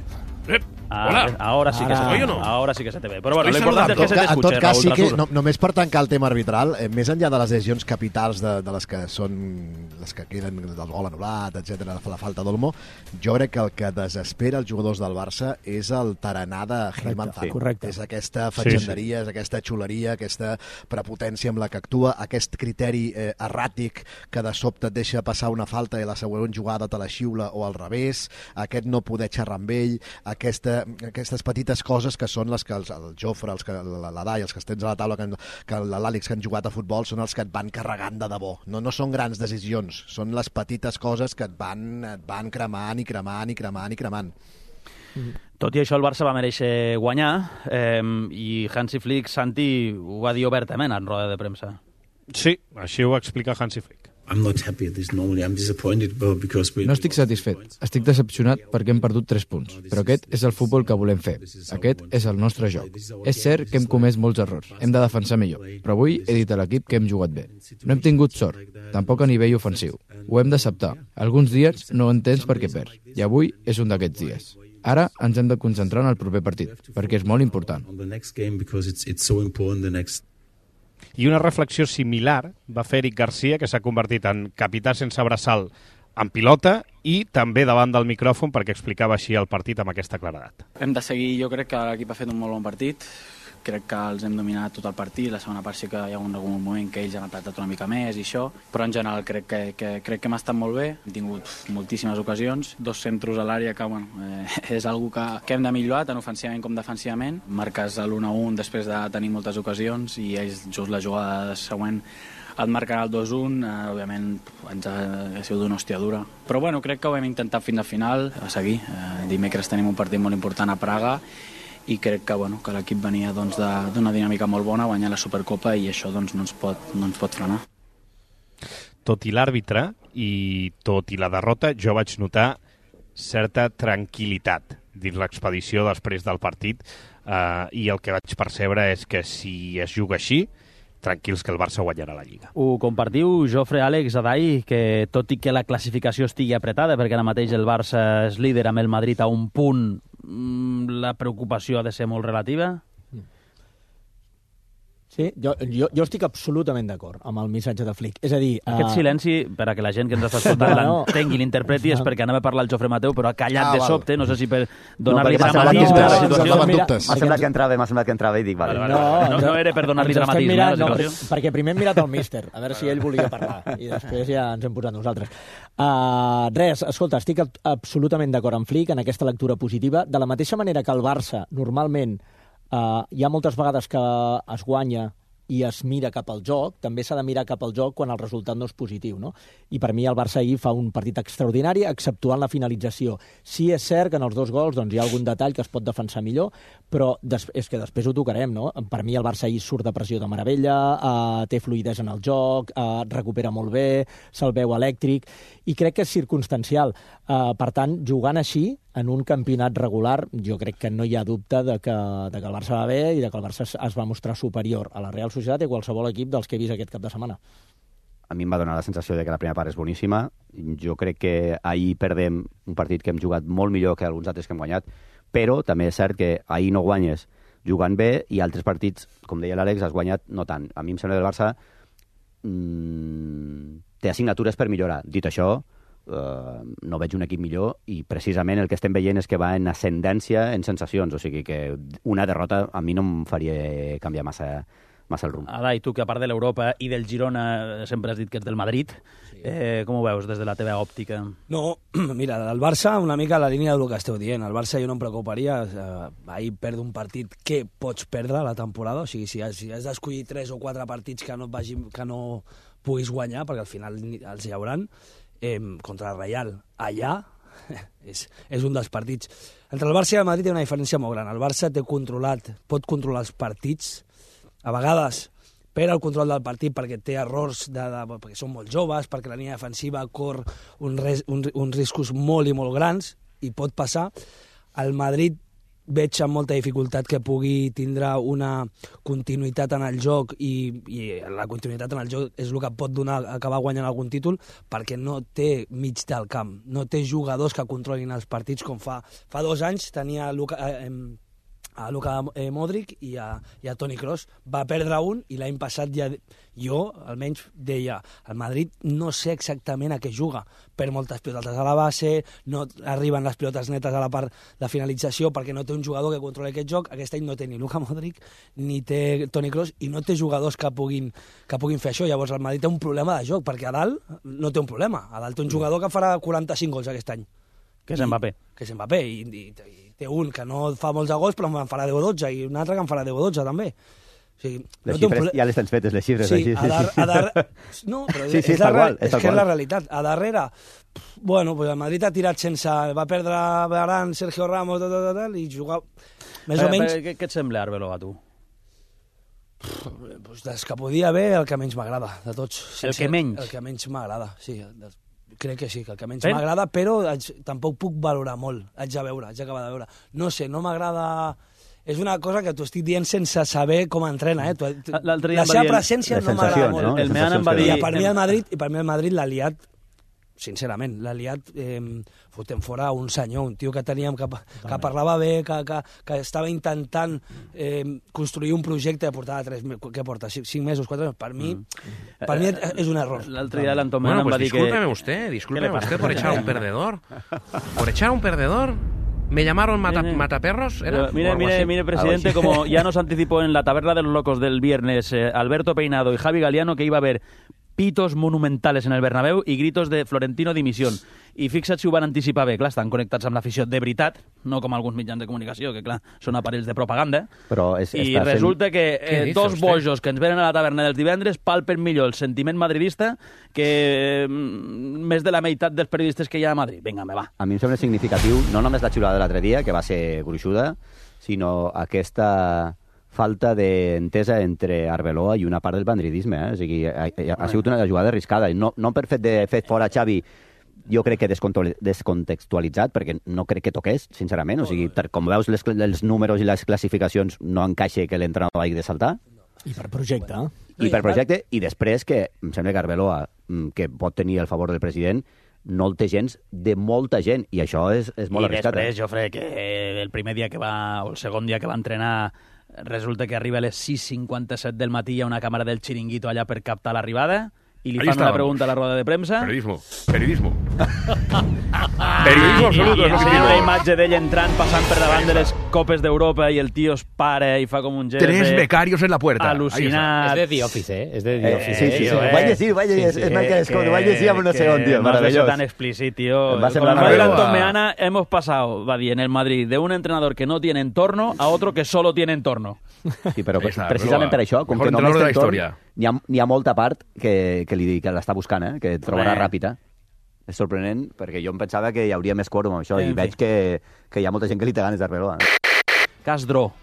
Ahora sí que se te ve. No? Ahora sí que se te ve. Però bueno, l'important és que se t'escuche, en tot cas, Raúl sí que, Trasur. només per tancar el tema arbitral, més enllà de les decisions capitals de les que són les que queden del gol anul·lat, etc, la falta d'Olmo, jo crec que el que desespera els jugadors del Barça és el tarannà de Gil Manzano. Correcte. És aquesta fatxenderia, és aquesta xuleria, aquesta prepotència amb la que actua, aquest criteri erràtic que de sobte et deixa passar una falta i la següent jugada te la xiula o al revés, aquest no poder xerrar amb ell, aquestes petites coses que són les que el Jofre, l'Adai, els que estem a la taula, que l'Àlex, que han jugat a futbol, són els que et van carregant de debò. No són grans decisions, són les petites coses que et van cremant i cremant i cremant i cremant. Tot i això, el Barça va mereixer guanyar i Hansi Flick, Santi, ho va dir obertament en roda de premsa. Sí, així ho explica Hansi Flick. I'm not happy at this. Normally I'm disappointed because No estic satisfet, estic decepcionat perquè hem perdut 3 punts, però aquest és el futbol que volem fer. Aquest és el nostre joc. És cert que hem comès molts errors, hem de defensar millor, però avui he dit a l'equip que hem jugat bé. No hem tingut sort, tampoc a nivell ofensiu. Ho hem d'acceptar. Alguns dies no entens per què perds, i avui és un d'aquests dies. Ara ens hem de concentrar en el proper partit, perquè és molt important. I una reflexió similar va fer Eric Garcia, que s'ha convertit en capità sense braçal en pilota i també davant del micròfon perquè explicava així el partit amb aquesta claredat. Hem de seguir, jo crec que l'equip ha fet un molt bon partit, crec que els hem dominat tot el partit, la segona part sí que hi ha algun moment que ells han apretat una mica més i això, però en general crec que hem estat molt bé, hem tingut moltíssimes ocasions, 2 centros a l'àrea que és algo que hem de millorar tant ofensivament com defensivament, marques l'1-1 després de tenir moltes ocasions i ells just la jugada següent et marquen el 2-1, òbviament ens ha sigut una hòstia dura, però bueno, crec que ho hem intentat fins al final, a seguir, dimecres tenim un partit molt important a Praga i crec que l'equip venia d'una dinàmica molt bona, guanyar la Supercopa i això no ens pot frenar. Tot i l'àrbitre i tot i la derrota, jo vaig notar certa tranquil·litat dins l'expedició després del partit i el que vaig percebre és que si es juga així, tranquils que el Barça guanyarà la Lliga. Ho compartiu, Jofre, Àlex, Adai, que tot i que la classificació estigui apretada, perquè ara mateix el Barça és líder amb el Madrid a un punt, la preocupació ha de ser molt relativa? Sí, jo estic absolutament d'acord amb el missatge de Flick. És a dir... Aquest silenci, per a que la gent que ens està escoltant l'entengui, l'interpreti, és perquè anava a parlar el Jofre Mateu, però ha callat de sobte, no sé si per donar-li dramatisme a la situació. M'ha semblat que entrava i dic... No era per donar-li dramatisme a la situació. Perquè primer hem mirat el míster, a veure si ell volia parlar, i després ja ens hem posat nosaltres. Res, escolta, estic absolutament d'acord amb Flick en aquesta lectura positiva, de la mateixa manera que el Barça normalment hi ha moltes vegades que es guanya i es mira cap al joc, també s'ha de mirar cap al joc quan el resultat no és positiu, no? I per mi el Barça ahir fa un partit extraordinari, exceptuant la finalització. Sí, és cert que en els 2 gols hi ha algun detall que es pot defensar millor, però és que després ho tocarem, no? Per mi el Barça ahir surt de pressió de meravella, té fluïdesa en el joc, recupera molt bé, se'l veu elèctric, i crec que és circumstancial. Per tant, jugant així, en un campionat regular, jo crec que no hi ha dubte de que el Barça va bé i de que el Barça es va mostrar superior a la Real Societat i a qualsevol equip dels que he vist aquest cap de setmana. A mi em va donar la sensació de que la primera part és boníssima. Jo crec que ahir perdem un partit que hem jugat molt millor que alguns altres que hem guanyat, però també és cert que ahir no guanyes jugant bé i altres partits, com deia l'Àlex, has guanyat no tant. A mi em sembla que el Barça té assignatures per millorar. Dit això, no veig un equip millor i precisament el que estem veient és que va en ascendència en sensacions, o sigui que una derrota a mi no em faria canviar massa el rumb. Adai, tu que a part de l'Europa i del Girona sempre has dit que ets del Madrid, com ho veus des de la teva òptica? No, mira, el Barça una mica a la línia del que esteu dient, el Barça jo no em preocuparia, ahir perd un partit que pots perdre la temporada, o sigui, si has d'escollir 3 o 4 partits que no puguis guanyar, perquè al final els hi hauran, contra el Real allà és un dels partits. Entre el Barça i el Madrid hi ha una diferència molt gran. El Barça pot controlar els partits, a vegades perd el control del partit perquè té errors, perquè són molt joves, perquè la línia defensiva cor uns riscos molt i molt grans, i pot passar. El Madrid veig amb molta dificultat que pugui tindre una continuïtat en el joc i la continuïtat en el joc és el que pot acabar guanyant algun títol, perquè no té mig del camp, no té jugadors que controlin els partits com fa 2 anys tenia a Luka Modric i a Toni Kroos. Va perdre un i l'any passat jo almenys deia el Madrid no sé exactament a què juga, per moltes pilotes a la base, no arriben les pilotes netes a la part de finalització perquè no té un jugador que controli aquest joc. Aquest any no té ni Luka Modric ni té Toni Kroos i no té jugadors que puguin fer això. Llavors el Madrid té un problema de joc, perquè a dalt no té un problema, a dalt té un jugador que farà 45 gols aquest any, que és Mbappé. I té un que no fa molts gols però en farà 10 o 12 i un altre que en farà 10 o 12 també. O sigui, les xifres, ja les tens fetes, les xifres. Sí, no, però és que és la realitat. A darrere, bueno, pues el Madrid ha tirat sense... Va perdre Varane, Sergio Ramos, i jugar més o menys... Què et sembla, Arbeloa, tu? Pues des que podia haver, el que menys m'agrada, de tots. El que menys? El que menys m'agrada, sí. Crec que sí, que el que menys m'agrada, però tampoc puc valorar molt. Haig d'acabar de veure. No sé, no m'agrada... És una cosa que t'ho estic dient sense saber com entrena, La seva presència no m'agrada molt. El Meana em va dir... I per mi el Madrid l'ha liat, sincerament, l'ha liat fotent fora un senyor, un tio que teníem que parlava bé, que estava intentant construir un projecte que portava 5 mesos, 4 mesos. Per mi és un error. L'altre dia l'Anton Meana em va dir que... Discúlpeme usted por echar un perdedor. Por echar un perdedor... ¿Me llamaron mataperros? Mire, presidente, como ya nos anticipó en la taberna de los locos del viernes Alberto Peinado y Javi Galiano, que iba a haber pitos monumentales en el Bernabéu i gritos de Florentino dimisión. I fixa't si ho van anticipar bé. Clar, estan connectats amb l'afició de veritat, no com alguns mitjans de comunicació, que clar, són aparells de propaganda. I resulta que dos bojos que ens venen a la taverna dels divendres palpen millor el sentiment madridista que més de la meitat dels periodistes que hi ha a Madrid. Vinga, me va. A mi em sembla significatiu, no només la xiulada de l'altre dia, que va ser gruixuda, sinó aquesta falta d'entesa entre Arbeloa i una part del madridisme. O sigui, ha sigut una jugada arriscada. No per fet de fet fora Xavi, jo crec que descontextualitzat, perquè no crec que toqués, sincerament. O sigui, com veus els números i les classificacions, no encaixa que l'entrenador hagi de saltar. I per projecte. I després que em sembla que Arbeloa, que pot tenir el favor del president, no el té gens de molta gent, i això és molt arriscat. I després, Jofre, que el primer dia que va, o el segon dia que va entrenar, resulta que arriba a les 6:57 del matí, hi ha una càmera del Chiringuito allà per captar l'arribada, i li fan una pregunta a la roda de premsa. Periodismo absoluto. I una imatge d'ell entrant, passant per davant de les Copes d'Europa, i el tio es para i fa com un gest. 3 becarios en la puerta. Al·lucinat. És de The Office, És de The Office. Sí. Vaig llegir amb un segon, tío. No has tan explícit, tío. Como el Anton Meana, hemos pasado, va bien, en el Madrid, de un entrenador que no tiene entorno a otro que solo tiene entorno. Sí, però precisament per això, com que només té entorn, n'hi ha molta part que l'està buscant, que trobarà ràpida. És sorprenent, perquè jo em pensava que hi hauria més quòrum amb això, i veig que hi ha molta gent que li té ganes d'Arbeloa. Cas Dró.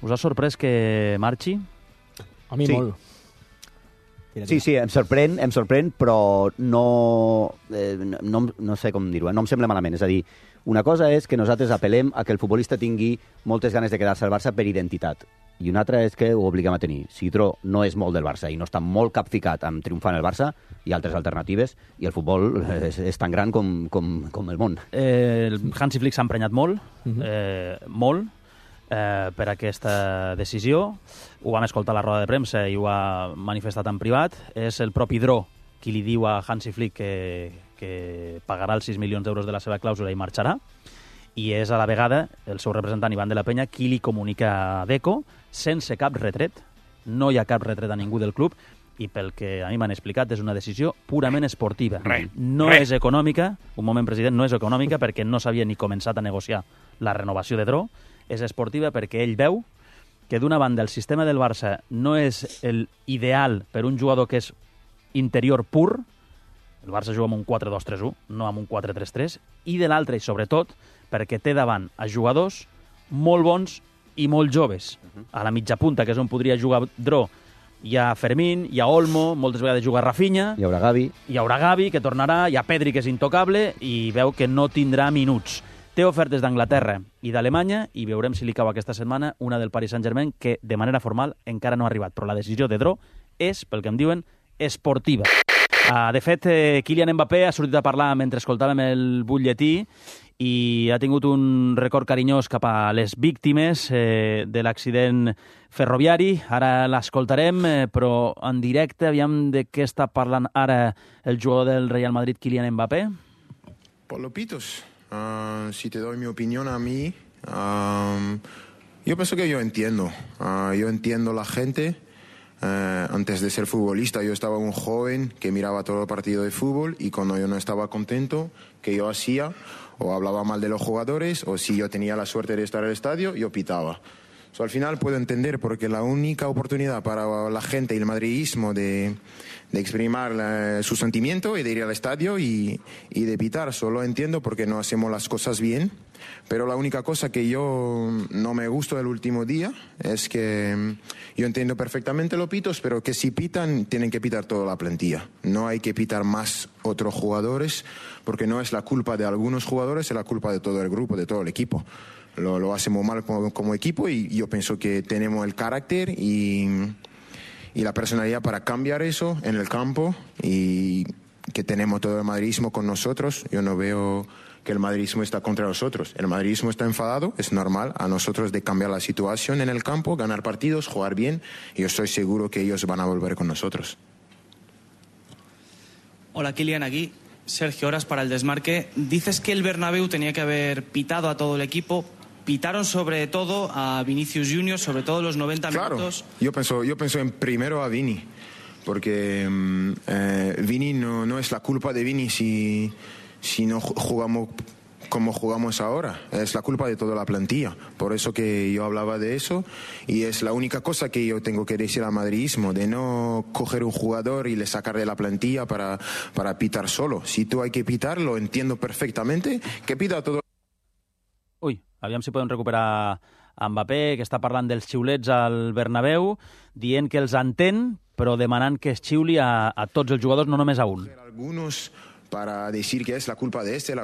Us ha sorprès que marxi? A mi molt. Sí, em sorprèn, però no sé com dir-ho, no em sembla malament. És a dir, una cosa és que nosaltres apel·lem a que el futbolista tingui moltes ganes de quedar-se al Barça per identitat, i una altra és que ho obliguem a tenir. Si Dró no és molt del Barça i no està molt capficat amb triomfar en el Barça, hi ha altres alternatives, i el futbol és tan gran com el món. El Hansi Flick s'ha emprenyat molt, per aquesta decisió. Ho vam escoltar a la roda de premsa i ho ha manifestat en privat. És el propi Dró qui li diu a Hansi Flick que pagarà els 6 milions d'euros de la seva clàusula i marxarà, i és a la vegada el seu representant Ivan de la Peña qui li comunica a Deco, sense cap retret, no hi ha cap retret a ningú del club, i pel que a mi m'han explicat és una decisió purament esportiva. No és econòmica, un moment, president, no és econòmica perquè no s'havia ni començat a negociar la renovació de Dró, és esportiva perquè ell veu que d'una banda el sistema del Barça no és el ideal per un jugador que és interior pur, el Barça juga amb un 4-2-3-1, no amb un 4-3-3, i de l'altra, i sobretot, perquè té davant a jugadors molt bons i molt joves. A la mitja punta, que és on podria jugar Dró, hi ha Fermín, hi ha Olmo, moltes vegades juga Rafinha, hi haurà Gavi, que tornarà, hi ha Pedri, que és intocable, i veu que no tindrà minuts. Té ofertes d'Anglaterra i d'Alemanya, i veurem si li cau aquesta setmana una del Paris Saint-Germain, que de manera formal encara no ha arribat, però la decisió de Dró és, pel que em diuen, esportiva. De fet, Kylian Mbappé ha sortit a parlar mentre escoltàvem el butlletí i ha tingut un record carinyós cap a les víctimes de l'accident ferroviari. Ara l'escoltarem, però en directe, aviam de què està parlant ara el jugador del Real Madrid, Kylian Mbappé. Por los pitos, si te doy mi opinión a mí, yo pienso que yo entiendo la gente. Antes de ser futbolista yo estaba un joven que miraba todo el partido de fútbol, y cuando yo no estaba contento, que yo hacía, o hablaba mal de los jugadores, o si yo tenía la suerte de estar en el estadio, yo pitaba. Al final puedo entender, porque la única oportunidad para la gente y el madridismo de exprimir su sentimiento y de ir al estadio y de pitar, solo entiendo porque no hacemos las cosas bien. Pero la única cosa que yo no me gustó del último día es que yo entiendo perfectamente los pitos, pero que si pitan, tienen que pitar toda la plantilla. No hay que pitar más otros jugadores, porque no es la culpa de algunos jugadores, es la culpa de todo el grupo, de todo el equipo. Lo hacemos mal como equipo y yo pienso que tenemos el carácter y la personalidad para cambiar eso en el campo y que tenemos todo el madridismo con nosotros. Yo no veo que el madridismo está contra nosotros. El madridismo está enfadado, es normal a nosotros de cambiar la situación en el campo, ganar partidos, jugar bien, y yo estoy seguro que ellos van a volver con nosotros. Hola, Kylian, aquí. Sergio, horas para el desmarque. Dices que el Bernabéu tenía que haber pitado a todo el equipo. Pitaron sobre todo a Vinicius Junior, sobre todo los 90 minutos. Yo pienso en primero a Vini, porque Vini no es la culpa de Vini si no jugamos como jugamos ahora. Es la culpa de toda la plantilla. Por eso que yo hablaba de eso, y es la única cosa que yo tengo que decir al madridismo, de no coger un jugador y le sacar de la plantilla para pitar solo. Si tú hay que pitar, lo entiendo perfectamente, que pita todo. Ui, aviam si podem recuperar a Mbappé, que està parlant dels xiulets al Bernabéu, dient que els entén, però demanant que es xiuli a tots els jugadors, no només a un. Algunos para decir que es la culpa de este,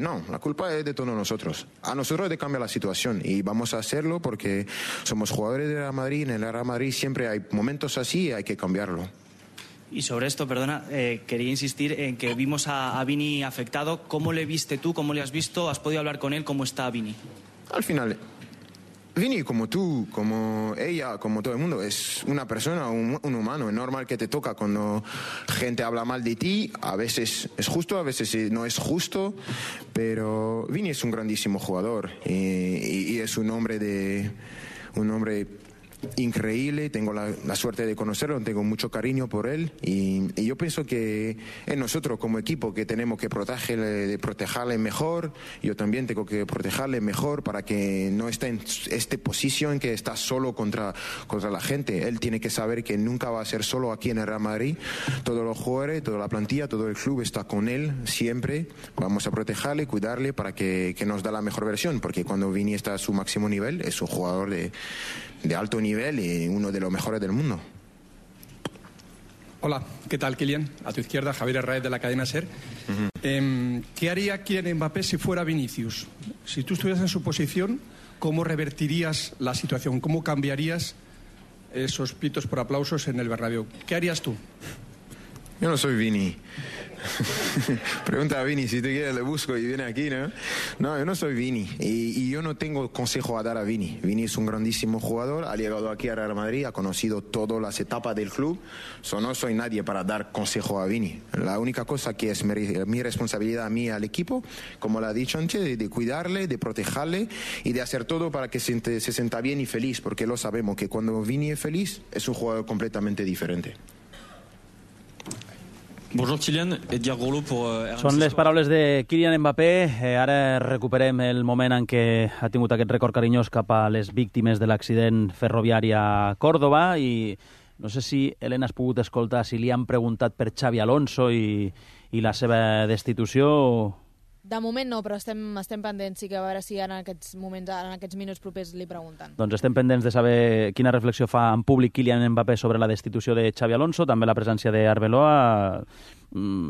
no, la culpa es de todos nosotros. A nosotros de cambiar la situación y vamos a hacerlo porque somos jugadores de Real Madrid, en el Real Madrid siempre hay momentos así y hay que cambiarlo. Y sobre esto, perdona, quería insistir en que vimos a Vini afectado. ¿Cómo le viste tú? ¿Cómo le has visto? ¿Has podido hablar con él? ¿Cómo está Vini? Al final, Vini, como tú, como ella, como todo el mundo, es una persona, un humano. Es normal que te toca cuando gente habla mal de ti. A veces es justo, a veces no es justo. Pero Vini es un grandísimo jugador y es un hombre increíble. Tengo la suerte de conocerlo, tengo mucho cariño por él y yo pienso que es nosotros como equipo que tenemos que protegerle mejor. Yo también tengo que protegerle mejor para que no esté en esta posición en que está solo contra la gente. Él tiene que saber que nunca va a ser solo aquí en el Real Madrid. Todos los jugadores, toda la plantilla, todo el club está con él siempre. Vamos a protegerle, cuidarle para que nos dé la mejor versión, porque cuando Vini está a su máximo nivel es un jugador de alto nivel y uno de los mejores del mundo. Hola, ¿qué tal, Kylian? A tu izquierda, Javier Herráez de la cadena SER. ¿Qué haría Kylian Mbappé si fuera Vinicius? Si tú estuvieras en su posición, ¿cómo revertirías la situación? ¿Cómo cambiarías esos pitos por aplausos en el Bernabéu? ¿Qué harías tú? Yo no soy Vini. Pregunta a Vini, si te quieres le busco y viene aquí, ¿no? No, yo no soy Vini y yo no tengo consejo a dar a Vini. Vini es un grandísimo jugador, ha llegado aquí a Real Madrid, ha conocido todas las etapas del club. No soy nadie para dar consejo a Vini. La única cosa que es mi responsabilidad a mí, al equipo, como lo ha dicho antes, de cuidarle, de protegerle y de hacer todo para que se sienta bien y feliz, porque lo sabemos que cuando Vini es feliz es un jugador completamente diferente. Bonjour Kylian, Edgar Gourlou pour Són les paraules de Kylian Mbappé. Ara recuperem el moment en què ha tingut aquest record carinyós cap a les víctimes de l'accident ferroviari a Còrdova i no sé si, Helena, has pogut escoltar si li han preguntat per Xavi Alonso i la seva destitució. De moment no, però estem pendents, sí que a veure si en aquests moments, en aquests minuts propers li pregunten. Doncs estem pendents de saber quina reflexió fa en públic Kylian Mbappé sobre la destitució de Xavi Alonso, també la presència d'Arbeloa.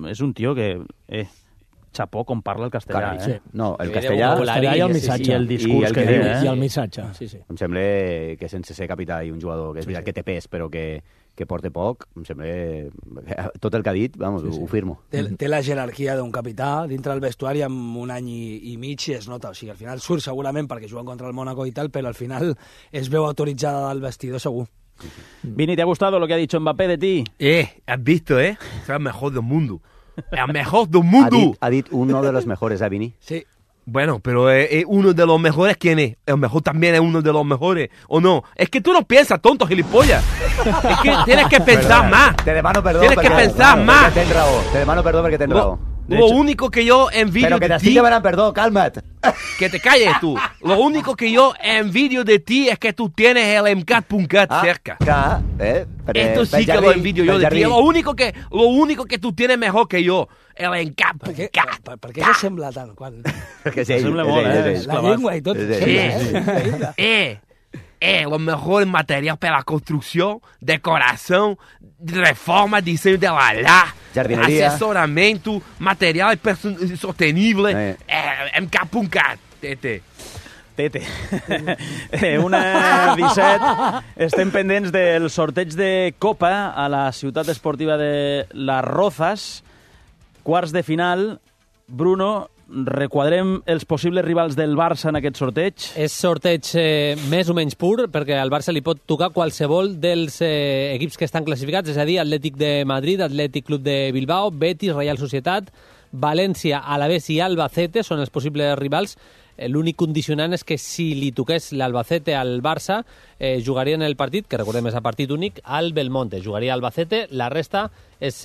És un tio que... Chapó com parla el castellà. Carai, sí. No, el castellà i el missatge. I el discurs que diu. I el missatge, sí, sí. Em sembla que sense ser capità i un jugador que és veritat que té pes, però que porta poc, em sembla... Tot el que ha dit, vamos, ho firmo. Té la jerarquia d'un capità dintre del vestuari amb un any i mig i es nota. O sigui, al final surt segurament perquè juguen contra el Mónaco i tal, però al final es veu autoritzada del vestidor segur. Vini, ¿te ha gustado lo que ha dicho Mbappé de ti? Has visto, Es el mejor del mundo. El mejor del mundo. Ha dit uno de los mejores, ¿eh, Vini? Sí. Bueno, pero uno de los mejores, ¿quién es? El mejor también es uno de los mejores, ¿o no? Es que tú no piensas, tonto gilipollas. Es que tienes que pensar más. Te demano perdó. Tienes que pensar más. Te demano perdó porque tens raó. Lo único que yo envidio Pero que de t'estic ti... demanant perdó, calma't. Que te calles tú. Lo único que yo envidio de ti es que tú tienes el MCAT.cat cerca. Esto sí que lo envidio yo de ti. Lo único que tú tienes mejor que yo. El MCAT.cat. Per què se sembla tant? Perquè és ell, La llengua i tot. Los mejores materiales para la construcción, decoración, reforma, diseño de jardinería, asesoramiento, material sostenible. MCAT.cat. Tete. 1:17. Estem pendents del sorteig de Copa a la ciutat esportiva de Las Rozas. Quarts de final. Bruno, requadrem els possibles rivals del Barça en aquest sorteig. És sorteig més o menys pur, perquè al Barça li pot tocar qualsevol dels equips que estan classificats, és a dir, Atlètic de Madrid, Atlètic Club de Bilbao, Betis, Real Societat, València, Alavés i Albacete són els possibles rivals. L'únic condicionant és que si li toqués l'Albacete al Barça, jugarien el partit, que recordem és a partit únic, al Belmonte. Jugaria Albacete, la resta és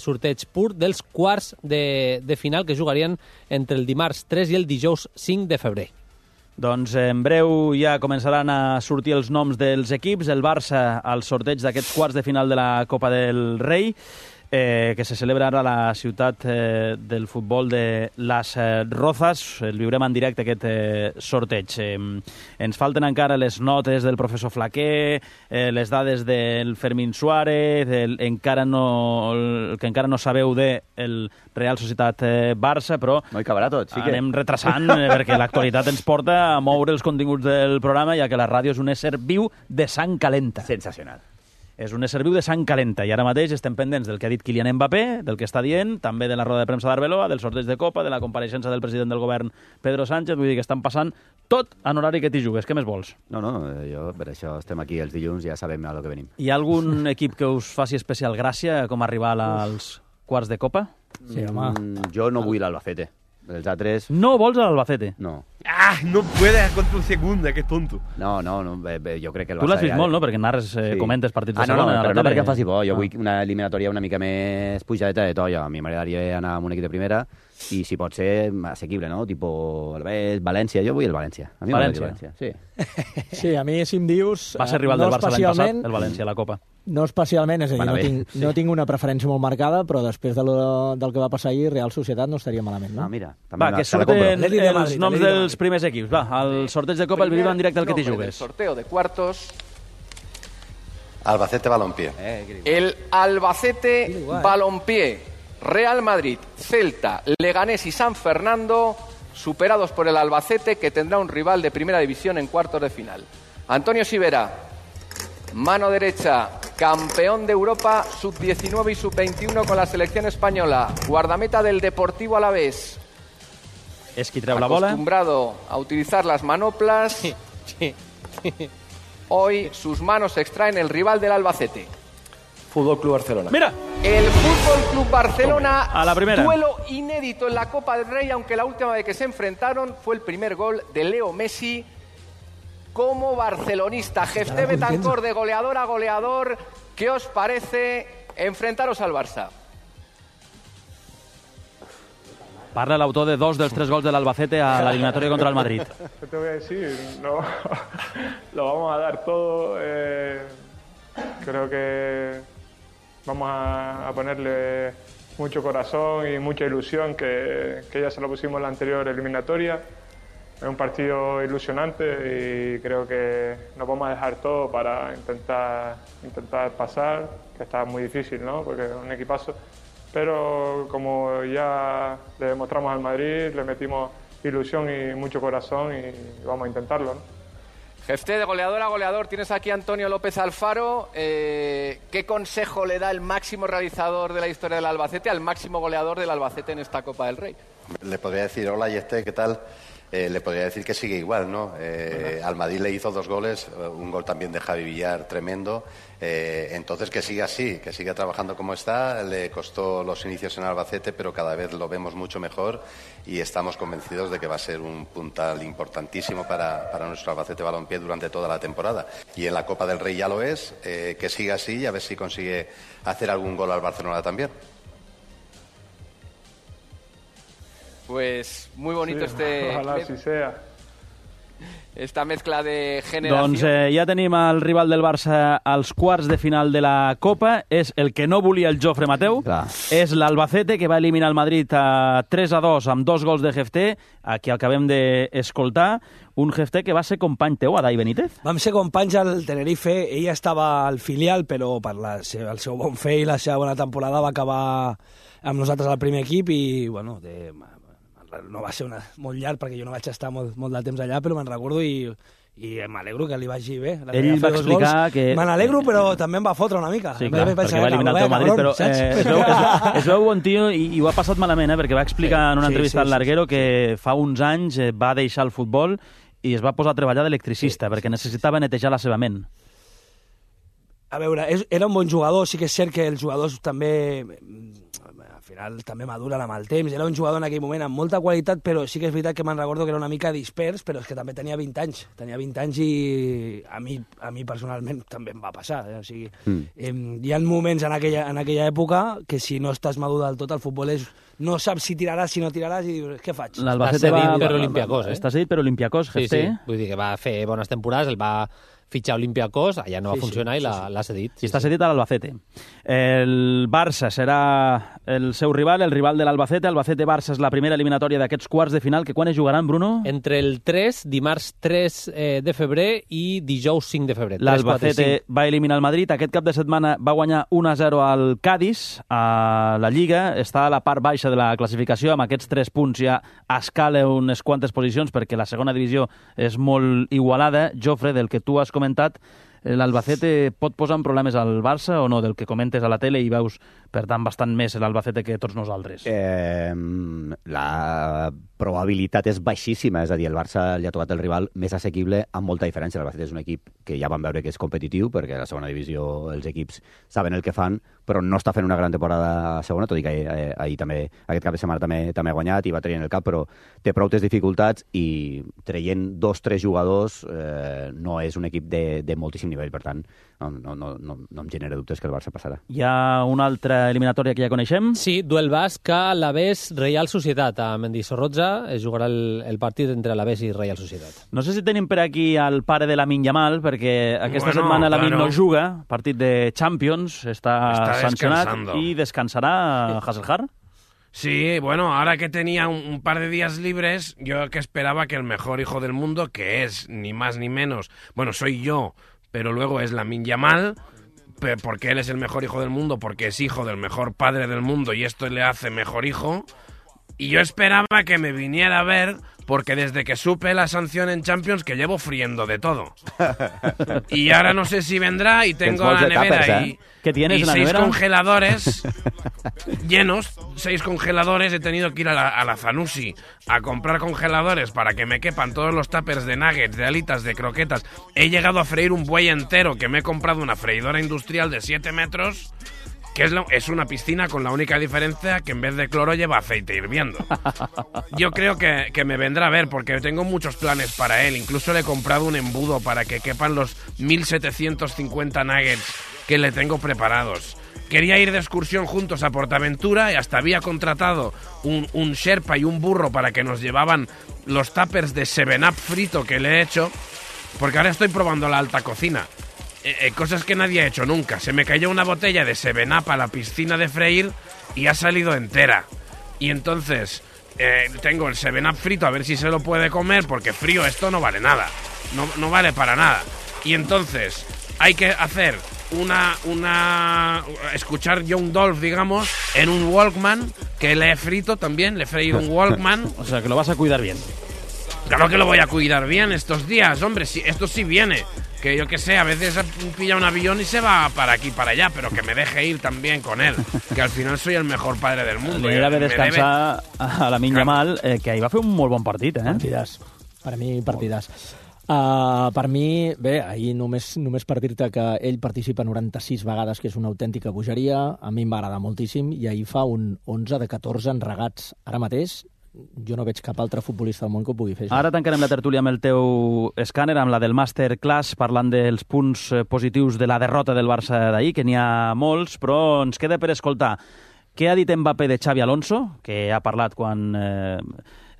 sorteig pur dels quarts de final que jugarien entre el dimarts 3 i el dijous 5 de febrer. Doncs en breu ja començaran a sortir els noms dels equips. El Barça al sorteig d'aquests quarts de final de la Copa del Rei, que se celebra ara a la ciutat del futbol de Las Rozas. El viurem en directe, aquest sorteig. Ens falten encara les notes del professor Flaquer, les dades del Fermín Suárez, el que encara no sabeu del Real Societat Barça, però no hi cabrà tot, sí que... anem retrasant perquè l'actualitat ens porta a moure els continguts del programa, ja que la ràdio és un ésser viu de sang calenta. Sensacional. És un ésser viu de sang calenta i ara mateix estem pendents del que ha dit Kylian Mbappé, del que està dient, també de la roda de premsa d'Arbeloa, del sorteig de Copa, de la compareixença del president del govern Pedro Sánchez. Vull dir que estan passant tot en horari que t'hi jugues. Què més vols? No, jo per això estem aquí els dilluns, ja sabem a lo que venim. Hi ha algun equip que us faci especial gràcia com a rival als quarts de Copa? Sí, home. Jo no vull l'Albacete. Els altres... No vols l'Albacete? No. No puedes contra un segunda, que tonto. No, jo crec que el Barça... Tu l'has vist molt, no? Perquè narres, comentes partits de segona. No, però no perquè em faci por. Jo vull una eliminatòria una mica més pujadeta de to. A mi m'agradaria anar amb un equip de primera i si pot ser assequible, no? Tipo València. Jo vull el València. A mi m'agradaria València, sí. Sí, a mi, si em dius... Va ser rival del Barça l'any passat, el València, a la Copa. No especialment, és a dir, no tinc una preferència molt marcada, però després del que va passar ahir, Real Societat no estaria malament, no? Mira, va, que surten els noms dels primers equips. Va, el sorteig de Copa el vivim en directe al que t'hi jugues. Sorteo de cuartos. Albacete Balompié. El Albacete Balompié, Real Madrid, Celta, Leganés y San Fernando, superados por el Albacete, que tendrá un rival de primera división en cuartos de final. Antonio Sivera, mano derecha, campeón de Europa sub-19 y sub-21 con la selección española, guardameta del Deportivo Alavés. És qui treu la bola. Acostumbrado a utilizar las manoplas. Hoy sus manos extraen el rival del Albacete. Fútbol Club Barcelona. Mira. El Fútbol Club Barcelona, a la primera. Duelo inédito en la Copa del Rey, aunque la última vez que se enfrentaron fue el primer gol de Leo Messi como barcelonista. Jefté Betancor, de goleador a goleador. ¿Qué os parece enfrentaros al Barça? Parla l'autor de 2 dels 3 gols de l'Albacete a la eliminatoria contra el Madrid. ¿Qué te voy a decir? No, lo vamos a dar todo. Creo que vamos a ponerle mucho corazón y mucha ilusión, que ya se lo pusimos en la anterior eliminatoria. Es un partido ilusionante y creo que nos vamos a dejar todo para intentar pasar, que está muy difícil, ¿no? Porque es un equipazo. Pero como ya le demostramos al Madrid, le metimos ilusión y mucho corazón y vamos a intentarlo, ¿no? Jefté, de goleador a goleador, tienes aquí a Antonio López Alfaro. ¿Qué consejo le da el máximo realizador de la historia del Albacete al máximo goleador del Albacete en esta Copa del Rey? Le podría decir, hola Jefté, ¿qué tal? Le podría decir que sigue igual, ¿no? Al Madrid le hizo 2 goles, un gol también de Javi Villar tremendo. Entonces que siga así, que siga trabajando como está. Le costó los inicios en Albacete, pero cada vez lo vemos mucho mejor y estamos convencidos de que va a ser un puntal importantísimo para nuestro Albacete Balompié durante toda la temporada. Y en la Copa del Rey ya lo es, que siga así y a ver si consigue hacer algún gol al Barcelona también. Pues muy bonito Ojalá si sea. Esta mezcla de generació. Doncs ja tenim el rival del Barça als quarts de final de la Copa. És el que no volia el Jofre Mateu. Clar. És l'Albacete, que va eliminar el Madrid a 3-2 amb 2 gols de Jefté, a qui acabem d'escoltar. Un Jefté que va ser company teu, Adai Benítez. Vam ser companys al Tenerife. Ell estava al filial, però per el seu bon fer i la seva bona temporada va acabar amb nosaltres al primer equip i, bueno, no va ser molt llarg perquè jo no vaig estar molt de temps allà, però me'n recordo i m'alegro que li vagi bé. Ell va explicar que... Me n'alegro, però també em va fotre una mica. Sí, clar, perquè va eliminar el Madrid, però es veu bon tio i ho ha passat malament, perquè va explicar en una entrevista al Larguero que fa uns anys va deixar el futbol i es va posar a treballar d'electricista, perquè necessitava netejar la seva ment. A veure, era un bon jugador, sí que és cert que els jugadors també... Al final també maduren amb el temps. Era un jugador en aquell moment amb molta qualitat, però sí que és veritat que me'n recordo que era una mica dispers, però és que també tenia 20 anys. Tenia 20 anys i a mi personalment també em va passar. O sigui, hi ha moments en aquella època que si no estàs madur del tot, el futbol no saps si tiraràs, si no tiraràs, i dius, què faig? L'Albacete va per Olympiacos, Està cedit per Olympiacos, Jefté. Sí, vull dir que va fer bones temporades, el va fitxar Olympiacos, allà no va funcionar i l'ha cedit. I està cedit a l'Albacete. El Barça serà el seu rival, el rival de l'Albacete. Albacete-Barça és la primera eliminatòria d'aquests quarts de final, que quan es jugaran, Bruno? Entre el 3, dimarts 3 de febrer i dijous 5 de febrer. L'Albacete va eliminar el Madrid. Aquest cap de setmana va guanyar 1-0 al Cádiz. A la Lliga està a la part baixa de la classificació. Amb aquests 3 punts ja escala unes quantes posicions perquè la segona divisió és molt igualada. Jofre, del que tu has comentat, l'Albacete pot posar en problemes al Barça o no? Del que comentes a la tele i veus, per tant, bastant més l'Albacete que tots nosaltres. La probabilitat és baixíssima, és a dir, el Barça li ha trobat el rival més assequible amb molta diferència. L'Albacete és un equip que ja vam veure que és competitiu, perquè a la segona divisió els equips saben el que fan, però no està fent una gran temporada a segona, tot i que ahir també, aquest cap de setmana també ha guanyat i va traient el cap, però té prou dificultats i traient 2-3 jugadors no és un equip de moltíssim nivell, per tant, no em genera dubtes que el Barça passarà. Hi ha una altra eliminatòria que ja coneixem? Sí, duel basc a l'Alavés Reial Societat. A Mendizorroza es jugarà el partit entre l'Alavés i Reial Societat. No sé si tenim per aquí el pare de Lamine Yamal, perquè aquesta setmana Lamine no juga, partit de Champions, està sancionat y descansará Hasselhard. Sí, bueno, ahora que tenía un par de días libres, yo que esperaba que el mejor hijo del mundo, que es ni más ni menos, bueno, soy yo, pero luego es Lamine Yamal, porque él es el mejor hijo del mundo, porque es hijo del mejor padre del mundo y esto le hace mejor hijo, y yo esperaba que me viniera a ver, porque desde que supe la sanción en Champions que llevo friendo de todo. Y ahora no sé si vendrá y tengo la nevera y 6 congeladores llenos, 6 congeladores. He tenido que ir a la Zanussi a comprar congeladores para que me quepan todos los tuppers de nuggets, de alitas, de croquetas. He llegado a freír un buey entero, que me he comprado una freidora industrial de 7 metros... que es una piscina con la única diferencia que en vez de cloro lleva aceite hirviendo. Yo creo que me vendrá a ver porque tengo muchos planes para él. Incluso le he comprado un embudo para que quepan los 1.750 nuggets que le tengo preparados. Quería ir de excursión juntos a Portaventura y hasta había contratado un Sherpa y un burro para que nos llevaban los tuppers de 7-Up frito que le he hecho, porque ahora estoy probando la alta cocina. Cosas que nadie ha hecho nunca. Se me cayó una botella de 7-Up a la piscina de freír y ha salido entera. Y entonces tengo el 7-Up frito a ver si se lo puede comer, porque frío esto no vale nada. No vale para nada. Y entonces hay que hacer escuchar Young Dolph, digamos, en un Walkman, que le he frito también, le he freído un Walkman. O sea, que lo vas a cuidar bien. Claro que lo voy a cuidar bien estos días, hombre, sí, esto sí viene. Que yo que sé, a veces pilla un avión y se va para aquí, para allá, pero que me deje ir también con él, que al final soy el mejor padre del mundo. Li agrada descansar a Lamine Yamal, que ahir va fer un molt bon partit, eh? Partidàs. Per a mi, partidàs. Per mi, bé, ahir només per dir-te que ell participa 96 vegades, que és una autèntica bogeria, a mi em va agradar moltíssim, i ahir fa un 11 de 14 enregats. Ara mateix jo no veig cap altre futbolista del món que ho pugui fer. Ara tancarem la tertúlia amb el teu escàner, amb la del Masterclass, parlant dels punts positius de la derrota del Barça d'ahir, que n'hi ha molts, però ens queda per escoltar Què ha dit Mbappé de Xavi Alonso, que ha parlat quan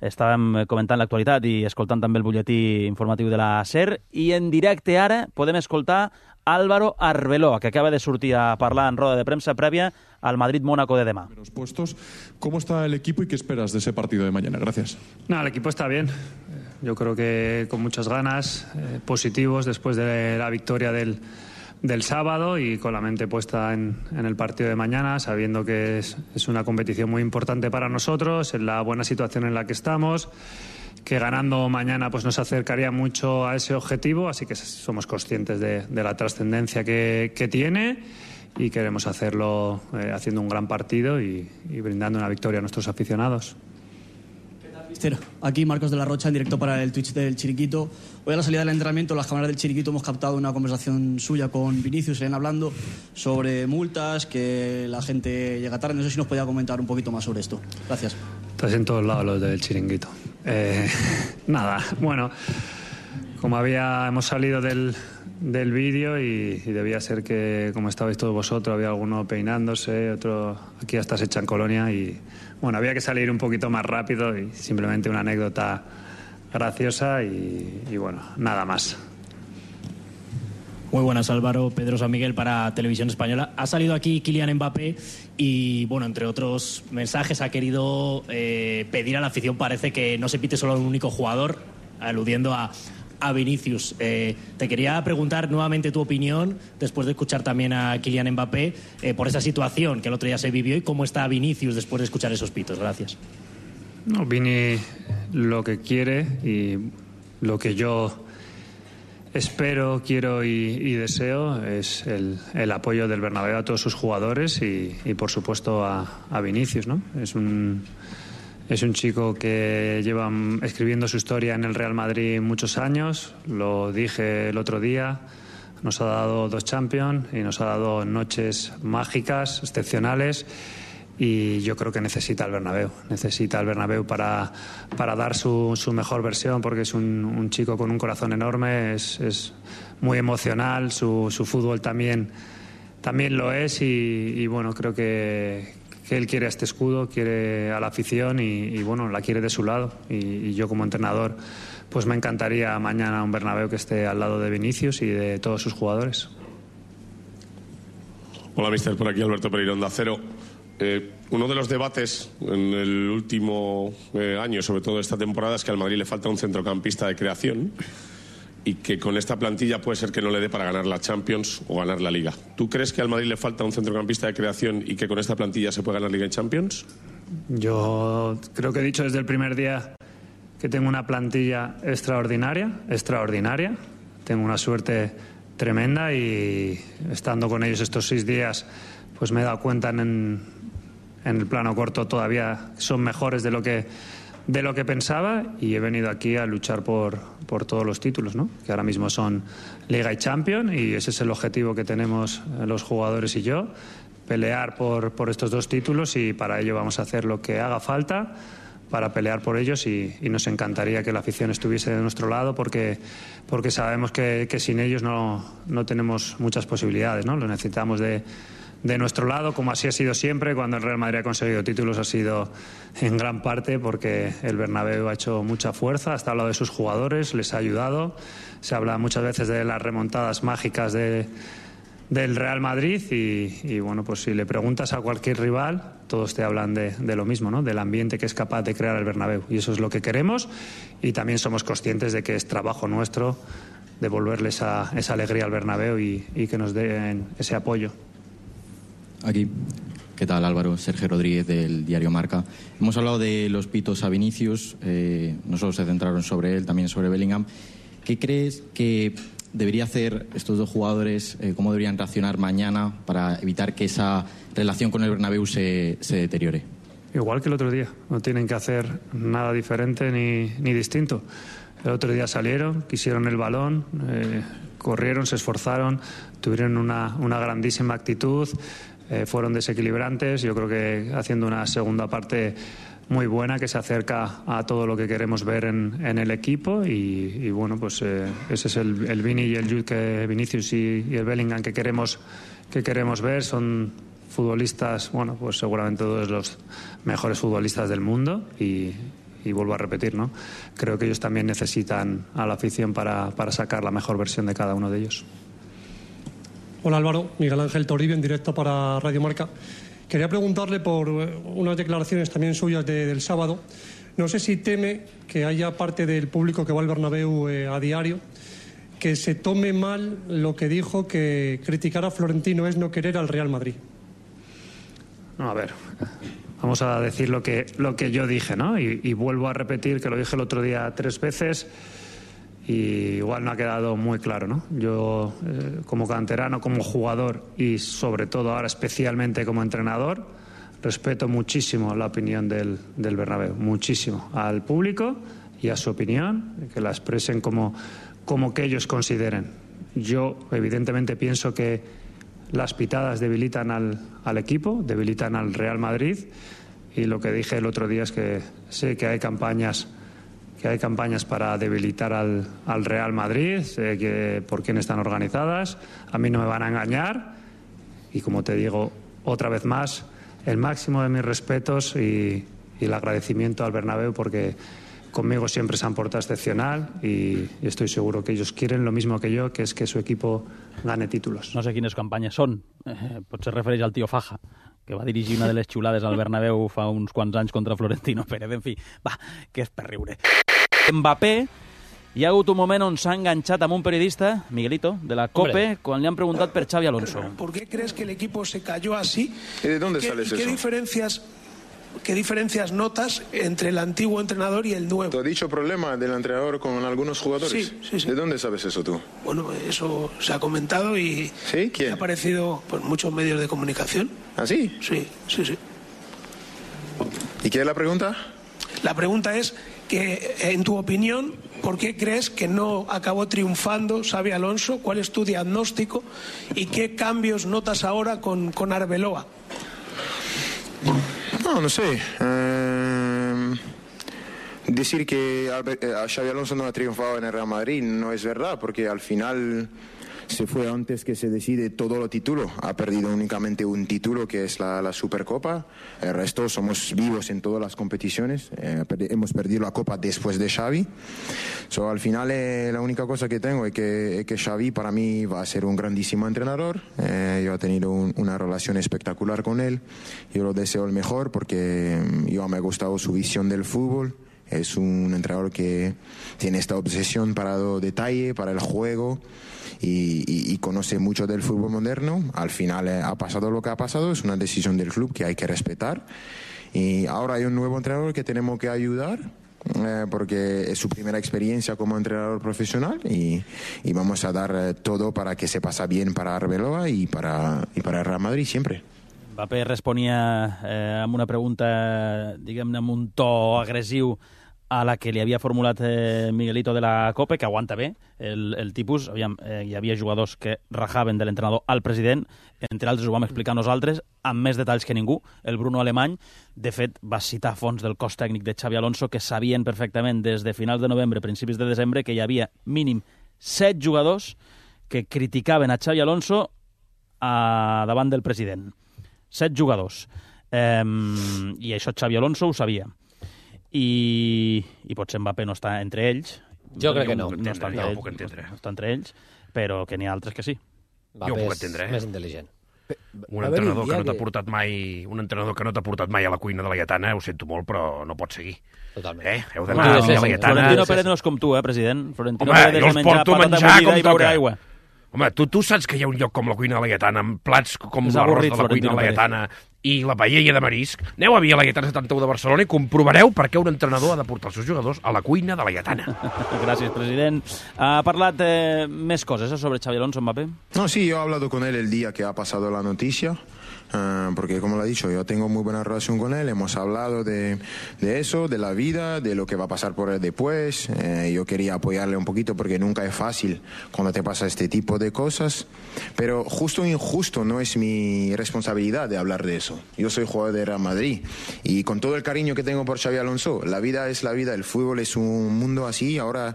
estàvem comentant l'actualitat i escoltant també el butlletí informatiu de la SER, i en directe ara podem escoltar Álvaro Arbeloa, que acaba de sortir a parlar en roda de premsa prèvia al Madrid-Mónaco de demà. ¿Cómo está el equipo y qué esperas de ese partido de mañana? Gracias. No, el equipo está bien. Yo creo que con muchas ganas, positivos después de la victoria del sábado y con la mente puesta en el partido de mañana, sabiendo que es una competición muy importante para nosotros, en la buena situación en la que estamos, que ganando mañana pues nos acercaría mucho a ese objetivo, así que somos conscientes de la trascendencia que tiene y queremos hacerlo haciendo un gran partido y brindando una victoria a nuestros aficionados. Aquí Marcos de la Rocha en directo para el Twitch del Chiringuito. Hoy a la salida del entrenamiento, las cámaras del Chiringuito hemos captado una conversación suya con Vinicius, se ven hablando sobre multas, que la gente llega tarde. No sé si nos podía comentar un poquito más sobre esto. Gracias. Estás en todos lados los del Chiringuito. Nada, bueno, como hemos salido del vídeo y debía ser que, como estabais todos vosotros, había alguno peinándose, otro aquí hasta se echan colonia y bueno, había que salir un poquito más rápido y simplemente una anécdota graciosa y bueno, nada más. Muy buenas, Álvaro. Pedro San Miguel para Televisión Española. Ha salido aquí Kylian Mbappé y, bueno, entre otros mensajes ha querido pedir a la afición, parece que no se pite solo a un único jugador, aludiendo a Vinicius. Te quería preguntar nuevamente tu opinión, después de escuchar también a Kylian Mbappé, por esa situación que el otro día se vivió y cómo está Vinicius después de escuchar esos pitos. Gracias. No, Vini lo que quiere y lo que yo espero, quiero y deseo es el apoyo del Bernabéu a todos sus jugadores y por supuesto a Vinicius, ¿no? Es un chico que lleva escribiendo su historia en el Real Madrid muchos años, lo dije el otro día, nos ha dado 2 Champions y nos ha dado noches mágicas, excepcionales, y yo creo que necesita el Bernabéu para dar su mejor versión, porque es un chico con un corazón enorme, es muy emocional, su fútbol también lo es y bueno, creo que él quiere a este escudo, quiere a la afición y bueno, la quiere de su lado y yo como entrenador pues me encantaría mañana un Bernabéu que esté al lado de Vinicius y de todos sus jugadores. Hola, mister, por aquí Alberto Pereiro, Onda Cero. Uno de los debates en el último año, sobre todo esta temporada, es que al Madrid le falta un centrocampista de creación y que con esta plantilla puede ser que no le dé para ganar la Champions o ganar la Liga. ¿Tú crees que al Madrid le falta un centrocampista de creación y que con esta plantilla se puede ganar Liga y Champions? Yo creo que he dicho desde el primer día que tengo una plantilla extraordinaria. Tengo una suerte tremenda y estando con ellos estos 6 días pues me he dado cuenta en el plano corto todavía son mejores de lo que pensaba y he venido aquí a luchar por todos los títulos, ¿no? Que ahora mismo son Liga y Champions y ese es el objetivo que tenemos los jugadores y yo, pelear por estos 2 títulos y para ello vamos a hacer lo que haga falta para pelear por ellos y nos encantaría que la afición estuviese de nuestro lado porque sabemos que sin ellos no tenemos muchas posibilidades, ¿no? Lo necesitamos de nuestro lado, como así ha sido siempre. Cuando el Real Madrid ha conseguido títulos ha sido en gran parte porque el Bernabéu ha hecho mucha fuerza, hasta hablado de sus jugadores, les ha ayudado. Se habla muchas veces de las remontadas mágicas del Real Madrid y bueno, pues si le preguntas a cualquier rival, todos te hablan de lo mismo, ¿no? Del ambiente que es capaz de crear el Bernabéu y eso es lo que queremos y también somos conscientes de que es trabajo nuestro devolverle esa alegría al Bernabéu y que nos den ese apoyo. Aquí. ¿Qué tal, Álvaro? Sergio Rodríguez, del diario Marca. Hemos hablado de los pitos a Vinicius, no solo se centraron sobre él, también sobre Bellingham. ¿Qué crees que debería hacer estos 2 jugadores? ¿Cómo deberían reaccionar mañana para evitar que esa relación con el Bernabéu se deteriore? Igual que el otro día, no tienen que hacer nada diferente ni distinto. El otro día salieron, quisieron el balón, corrieron, se esforzaron, tuvieron una grandísima actitud, fueron desequilibrantes. Yo creo que haciendo una segunda parte muy buena que se acerca a todo lo que queremos ver en el equipo y bueno, pues ese es el Vini y el Jude, Vinicius y el Bellingham que queremos ver. Son futbolistas, bueno, pues seguramente todos los mejores futbolistas del mundo y vuelvo a repetir, ¿no? Creo que ellos también necesitan a la afición para sacar la mejor versión de cada uno de ellos. Hola Álvaro, Miguel Ángel Toribio en directo para Radio Marca. Quería preguntarle por unas declaraciones también suyas del sábado. No sé si teme que haya parte del público que va al Bernabéu a diario que se tome mal lo que dijo, que criticar a Florentino es no querer al Real Madrid. No, a ver, vamos a decir lo que yo dije, ¿no? Y vuelvo a repetir que lo dije el otro día 3 veces y igual no ha quedado muy claro, ¿no? Yo, como canterano, como jugador y sobre todo ahora especialmente como entrenador, respeto muchísimo la opinión del Bernabéu, muchísimo, al público y a su opinión, que la expresen como que ellos consideren. Yo, evidentemente, pienso que las pitadas debilitan al equipo, debilitan al Real Madrid y lo que dije el otro día es que sé que hay campañas para debilitar al Real Madrid, sé que por quién están organizadas, a mí no me van a engañar y como te digo otra vez más, el máximo de mis respetos y el agradecimiento al Bernabéu porque conmigo siempre se han portado excepcional y estoy seguro que ellos quieren lo mismo que yo, que es que su equipo gane títulos. No sé quines campanyes són. Potser refereix al tio Faja, que va dirigir una de les xulades al Bernabéu fa uns quants anys contra Florentino Pérez. En fi, va, que és per riure. Mbappé, hi ha hagut un moment on s'ha enganxat amb un periodista, Miguelito, de la COPE, quan li han preguntat per Xavi Alonso. ¿Por qué crees que el equipo se cayó así? ¿Y de dónde sales eso? ¿Qué diferencias notas entre el antiguo entrenador y el nuevo? ¿Te ha dicho problema del entrenador con algunos jugadores? Sí. ¿De dónde sabes eso tú? Bueno, eso se ha comentado y ¿Sí? ¿Quién? ha aparecido por muchos medios de comunicación. ¿Ah, sí? Sí. ¿Y qué es la pregunta? La pregunta es que, en tu opinión, ¿por qué crees que no acabó triunfando Xabi Alonso? ¿Cuál es tu diagnóstico? ¿Y qué cambios notas ahora con Arbeloa? No sé. Decir que Xabi Alonso no ha triunfado en el Real Madrid no es verdad, porque al final se fue antes que se decide todo los títulos. Ha perdido únicamente un título, que es la Supercopa. El resto somos vivos en todas las competiciones. Hemos perdido la Copa después de Xavi. Al final la única cosa que tengo es que Xavi para mí va a ser un grandísimo entrenador. Yo he tenido una relación espectacular con él. Yo lo deseo el mejor porque yo me ha gustado su visión del fútbol. Es un entrenador que tiene esta obsesión para el detalle, para el juego. Y conoce mucho del fútbol moderno. Al final ha pasado lo que ha pasado, es una decisión del club que hay que respetar. Y ahora hay un nuevo entrenador que tenemos que ayudar, porque es su primera experiencia como entrenador profesional y vamos a dar todo para que se pase bien para Arbeloa y para el Real Madrid siempre. Mbappé responia amb una pregunta, diguem-ne, amb un to agressiu a la que li havia formulat Miguelito de la COPE, que aguanta bé el tipus. Aviam, hi havia jugadors que rajaven de l'entrenador al president, entre altres ho vam explicar nosaltres, amb més detalls que ningú. El Bruno Alemany, de fet, va citar fons del cos tècnic de Xavi Alonso que sabien perfectament des de finals de novembre, principis de desembre, que hi havia mínim 7 jugadors que criticaven a Xavi Alonso davant del president. 7 jugadors. I això Xavi Alonso ho sabia. I potser Mbappé no està entre ells. Jo crec que no. No està entre ells, però que n'hi ha altres que sí. Jo ho puc entendre, més intel·ligent. Un entrenador que no t'ha portat mai a la cuina de la Laietana, ho sento molt, però no pot seguir. Totalment. Heu d'anar a la Laietana. Florentino Pérez no és com tu, president. Florentino Pérez és de menjar patata bullida i beure aigua. Home, tu saps que hi ha un lloc com la cuina de la Laietana, amb plats com l'arròs de la cuina de la Laietana i la paella de marisc. Aneu a Via Laietana 71 de Barcelona i comprovareu per què un entrenador ha de portar els seus jugadors a la cuina de la Laietana. Gràcies, president. Ha parlat més coses sobre Xavi Alonso, Mbappé? No, sí, yo he hablado con él el día que ha pasado la noticia. Porque como lo he dicho, yo tengo muy buena relación con él, hemos hablado de eso, de la vida, de lo que va a pasar por él después. Yo quería apoyarle un poquito porque nunca es fácil cuando te pasa este tipo de cosas, pero justo o injusto no es mi responsabilidad de hablar de eso. Yo soy jugador de Real Madrid y con todo el cariño que tengo por Xavi Alonso, la vida es la vida, el fútbol es un mundo así. Ahora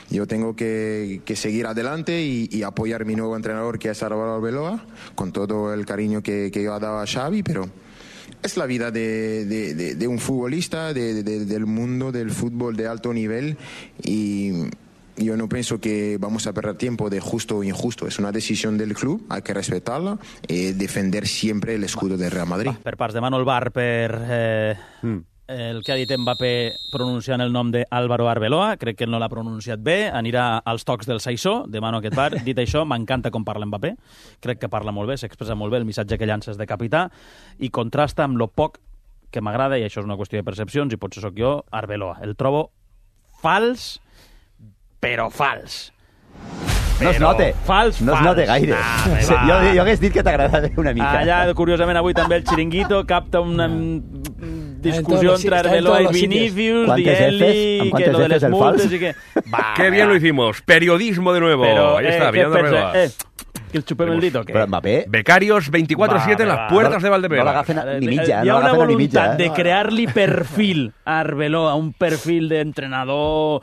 Yo tengo que seguir adelante y apoyar a mi nuevo entrenador, que es Álvaro Arbeloa, con todo el cariño que yo he dado a Xavi, pero es la vida de un futbolista, del mundo del fútbol de alto nivel, y yo no pienso que vamos a perder tiempo de justo o injusto. Es una decisión del club, hay que respetarla y defender siempre el escudo del Real Madrid. Per parts, demano el bar per el que ha dit Mbappé pronunciant el nom d'Álvaro Arbeloa. Crec que no l'ha pronunciat bé, anirà als tocs del Saissó, demano aquest bar. Dit això, m'encanta com parla Mbappé, crec que parla molt bé, s'expressa molt bé, el missatge que llances de capità, i contrasta amb lo poc que m'agrada, i això és una qüestió de percepcions, i potser sóc jo, Arbeloa. El trobo fals, però fals. No es note. Fals. No es note gaire. Jo hagués dit que t'agradava una mica. Allà, curiosament, avui també el Chiringuito capta una discussió entre Arbeloa y Vinicius, Dielli, que lo de les multes y que... Qué bien lo hicimos. Periodismo de nuevo. Pero, ahí está, Villando Arbeloa. Que el chupem el dito, ¿qué? Però Mbappé... Becarios 24/7 en las puertas de Valdebeba. No l'agafen ni mitja, Hi ha una voluntat de crear-li perfil a Arbeloa, un perfil d'entrenador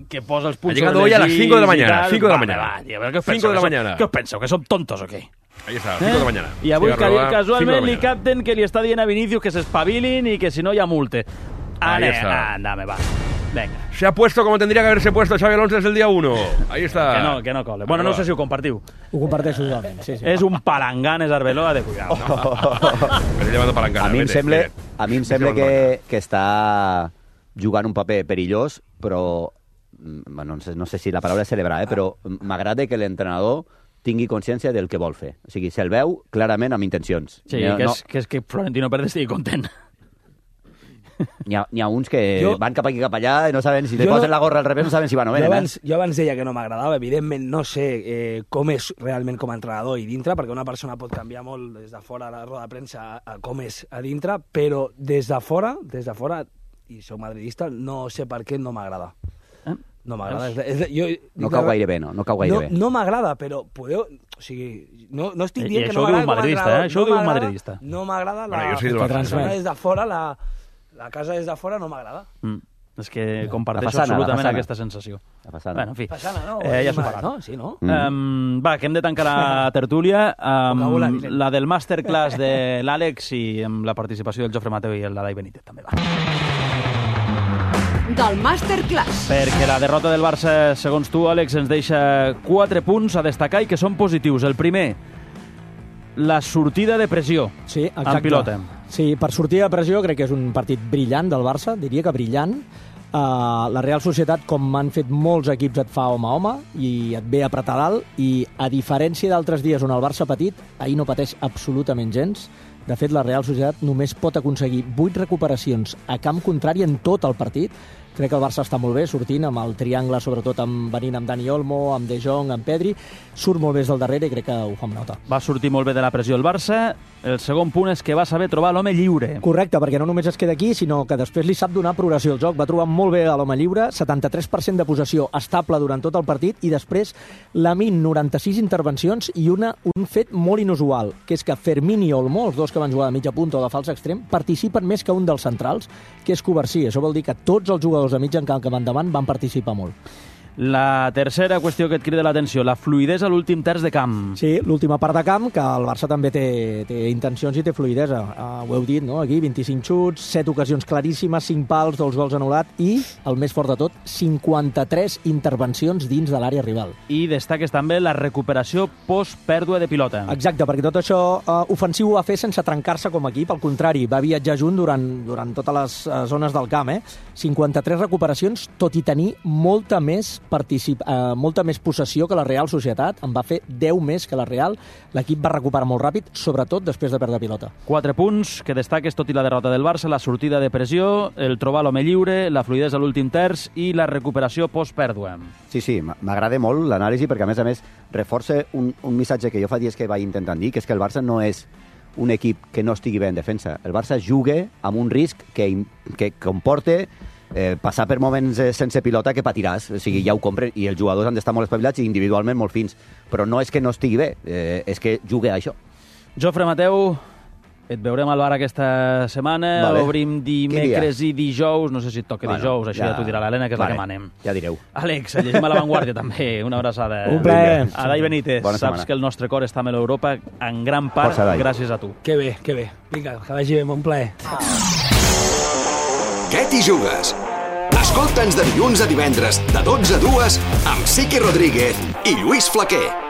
que posa els punts sobre les llegado hoy a las 5 de la mañana. 5 de la mañana. 5 de la mañana. ¿Qué os penseu? ¿Que som tontos o qué? Ahí está, 5 de la mañana. I avui casualment li capten que li està dient a Vinicius que s'espavilin i que si no hi ha multe. Andame, va. Venga. Se ha puesto como tendría que haberse puesto Xabi Alonso desde el día 1. Ahí está. Que no cole. Bueno, no sé si ho compartiu. Ho comparteixo totalment, sí. És un palanganes Arbeloa de cuidado. A mi em sembla que està jugant un paper perillós, però no sé si la paraula és celebrar, però m'agrada que l'entrenador tingui consciència del que vol fer. O sigui, se'l veu clarament amb intencions. Sí, que és que Florentino Pérez estigui content. N'hi ha uns que van cap aquí cap allà i no saben, si li posen la gorra al revés no saben si van o venen. Jo abans deia que no m'agradava, evidentment no sé com és realment com a entrenador i dintre, perquè una persona pot canviar molt des de fora a la roda de premsa a com és a dintre, però des de fora, i soc madridista, no sé per què no m'agrada. No m'agrada. No cau gaire bé, no? No cau gaire bé. No m'agrada, però podeu... O sigui, no estic dient que no m'agrada com a entrenador. Això ho diu un madridista. No m'agrada la casa des de fora no m'agrada. És que comparteixo absolutament aquesta sensació. La façana. Bueno, en fi. Façana, no? Ja s'ho parlat. No? Sí, no? Va, que hem de tancar la tertúlia. La del masterclass de l'Àlex i amb la participació del Jofre Mateu i el Dai Benítez també va. Del masterclass. Perquè la derrota del Barça, segons tu, Àlex, ens deixa 4 punts a destacar i que són positius. El primer, la sortida de pressió en pilota. Sí, per sortir de pressió crec que és un partit brillant del Barça, diria que brillant. La Real Societat, com han fet molts equips, et fa home a home i et ve a apretar dalt, i a diferència d'altres dies on el Barça ha patit, ahir no pateix absolutament gens. De fet, la Real Societat només pot aconseguir 8 recuperacions a camp contrari en tot el partit. Crec que el Barça està molt bé, sortint amb el triangle, sobretot venint amb Dani Olmo, amb De Jong, amb Pedri. Surt molt bé del darrere i crec que ho fa amb nota. Va sortir molt bé de la pressió el Barça. El segon punt és que va saber trobar l'home lliure. Correcte, perquè no només es queda aquí, sinó que després li sap donar progressió al joc. Va trobar molt bé a l'home lliure, 73% de possessió estable durant tot el partit, i després Lamine, 96 intervencions i un fet molt inusual, que és que Fermín i Olmo, els dos que van jugar de mitja punta o de fals extrem, participen més que un dels centrals, que és Covarsí. Això vol dir que tots els jugadors de mig en camp que van davant van participar molt. La tercera qüestió que et crida l'atenció, la fluïdesa a l'últim terç de camp. Sí, l'última part de camp, que el Barça també té intencions i té fluïdesa. Ho heu dit, no? Aquí 25 xuts, 7 ocasions claríssimes, 5 pals, 2 gols anul·lat i, el més fort de tot, 53 intervencions dins de l'àrea rival. I destaques també la recuperació post-pèrdua de pilota. Exacte, perquè tot això ofensiu ho va fer sense trencar-se com a equip, al contrari, va viatjar junt durant totes les zones del camp. 53 recuperacions, tot i tenir molta més possessió que la Real Societat. En va fer 10 més que la Real. L'equip va recuperar molt ràpid, sobretot després de perdre pilota. 4 punts que destaques, tot i la derrota del Barça, la sortida de pressió, el trobar l'home lliure, la fluïdesa a l'últim terç i la recuperació post-pèrdua. Sí, m'agrada molt l'anàlisi perquè, a més, reforça un missatge que jo fa dies que vaig intentant dir, que és que el Barça no és un equip que no estigui bé en defensa. El Barça juga amb un risc que comporta passar per moments sense pilota que patiràs, o sigui, ja ho compren, i els jugadors han d'estar molt espavilats i individualment molt fins, però no és que no estigui bé, és que juga a això. Jofre Mateu, Et veurem al bar aquesta setmana, Vale. obrim dimecres i dijous, no sé si et toca dijous, això ja t'ho dirà l'Helena, que és la que manem. Ja direu. Àlex, llegim a l'avantguàrdia també, una abraçada. Un plaer. Adai Benítez, saps que el nostre cor està amb l'Europa en gran part gràcies a tu. Que bé, que bé. Vinga, que vagi bé, un plaer. Què t'hi jugues? Escolta'ns de dilluns a divendres, de 12 a 2, amb Siqui Rodríguez i Lluís Flaquer.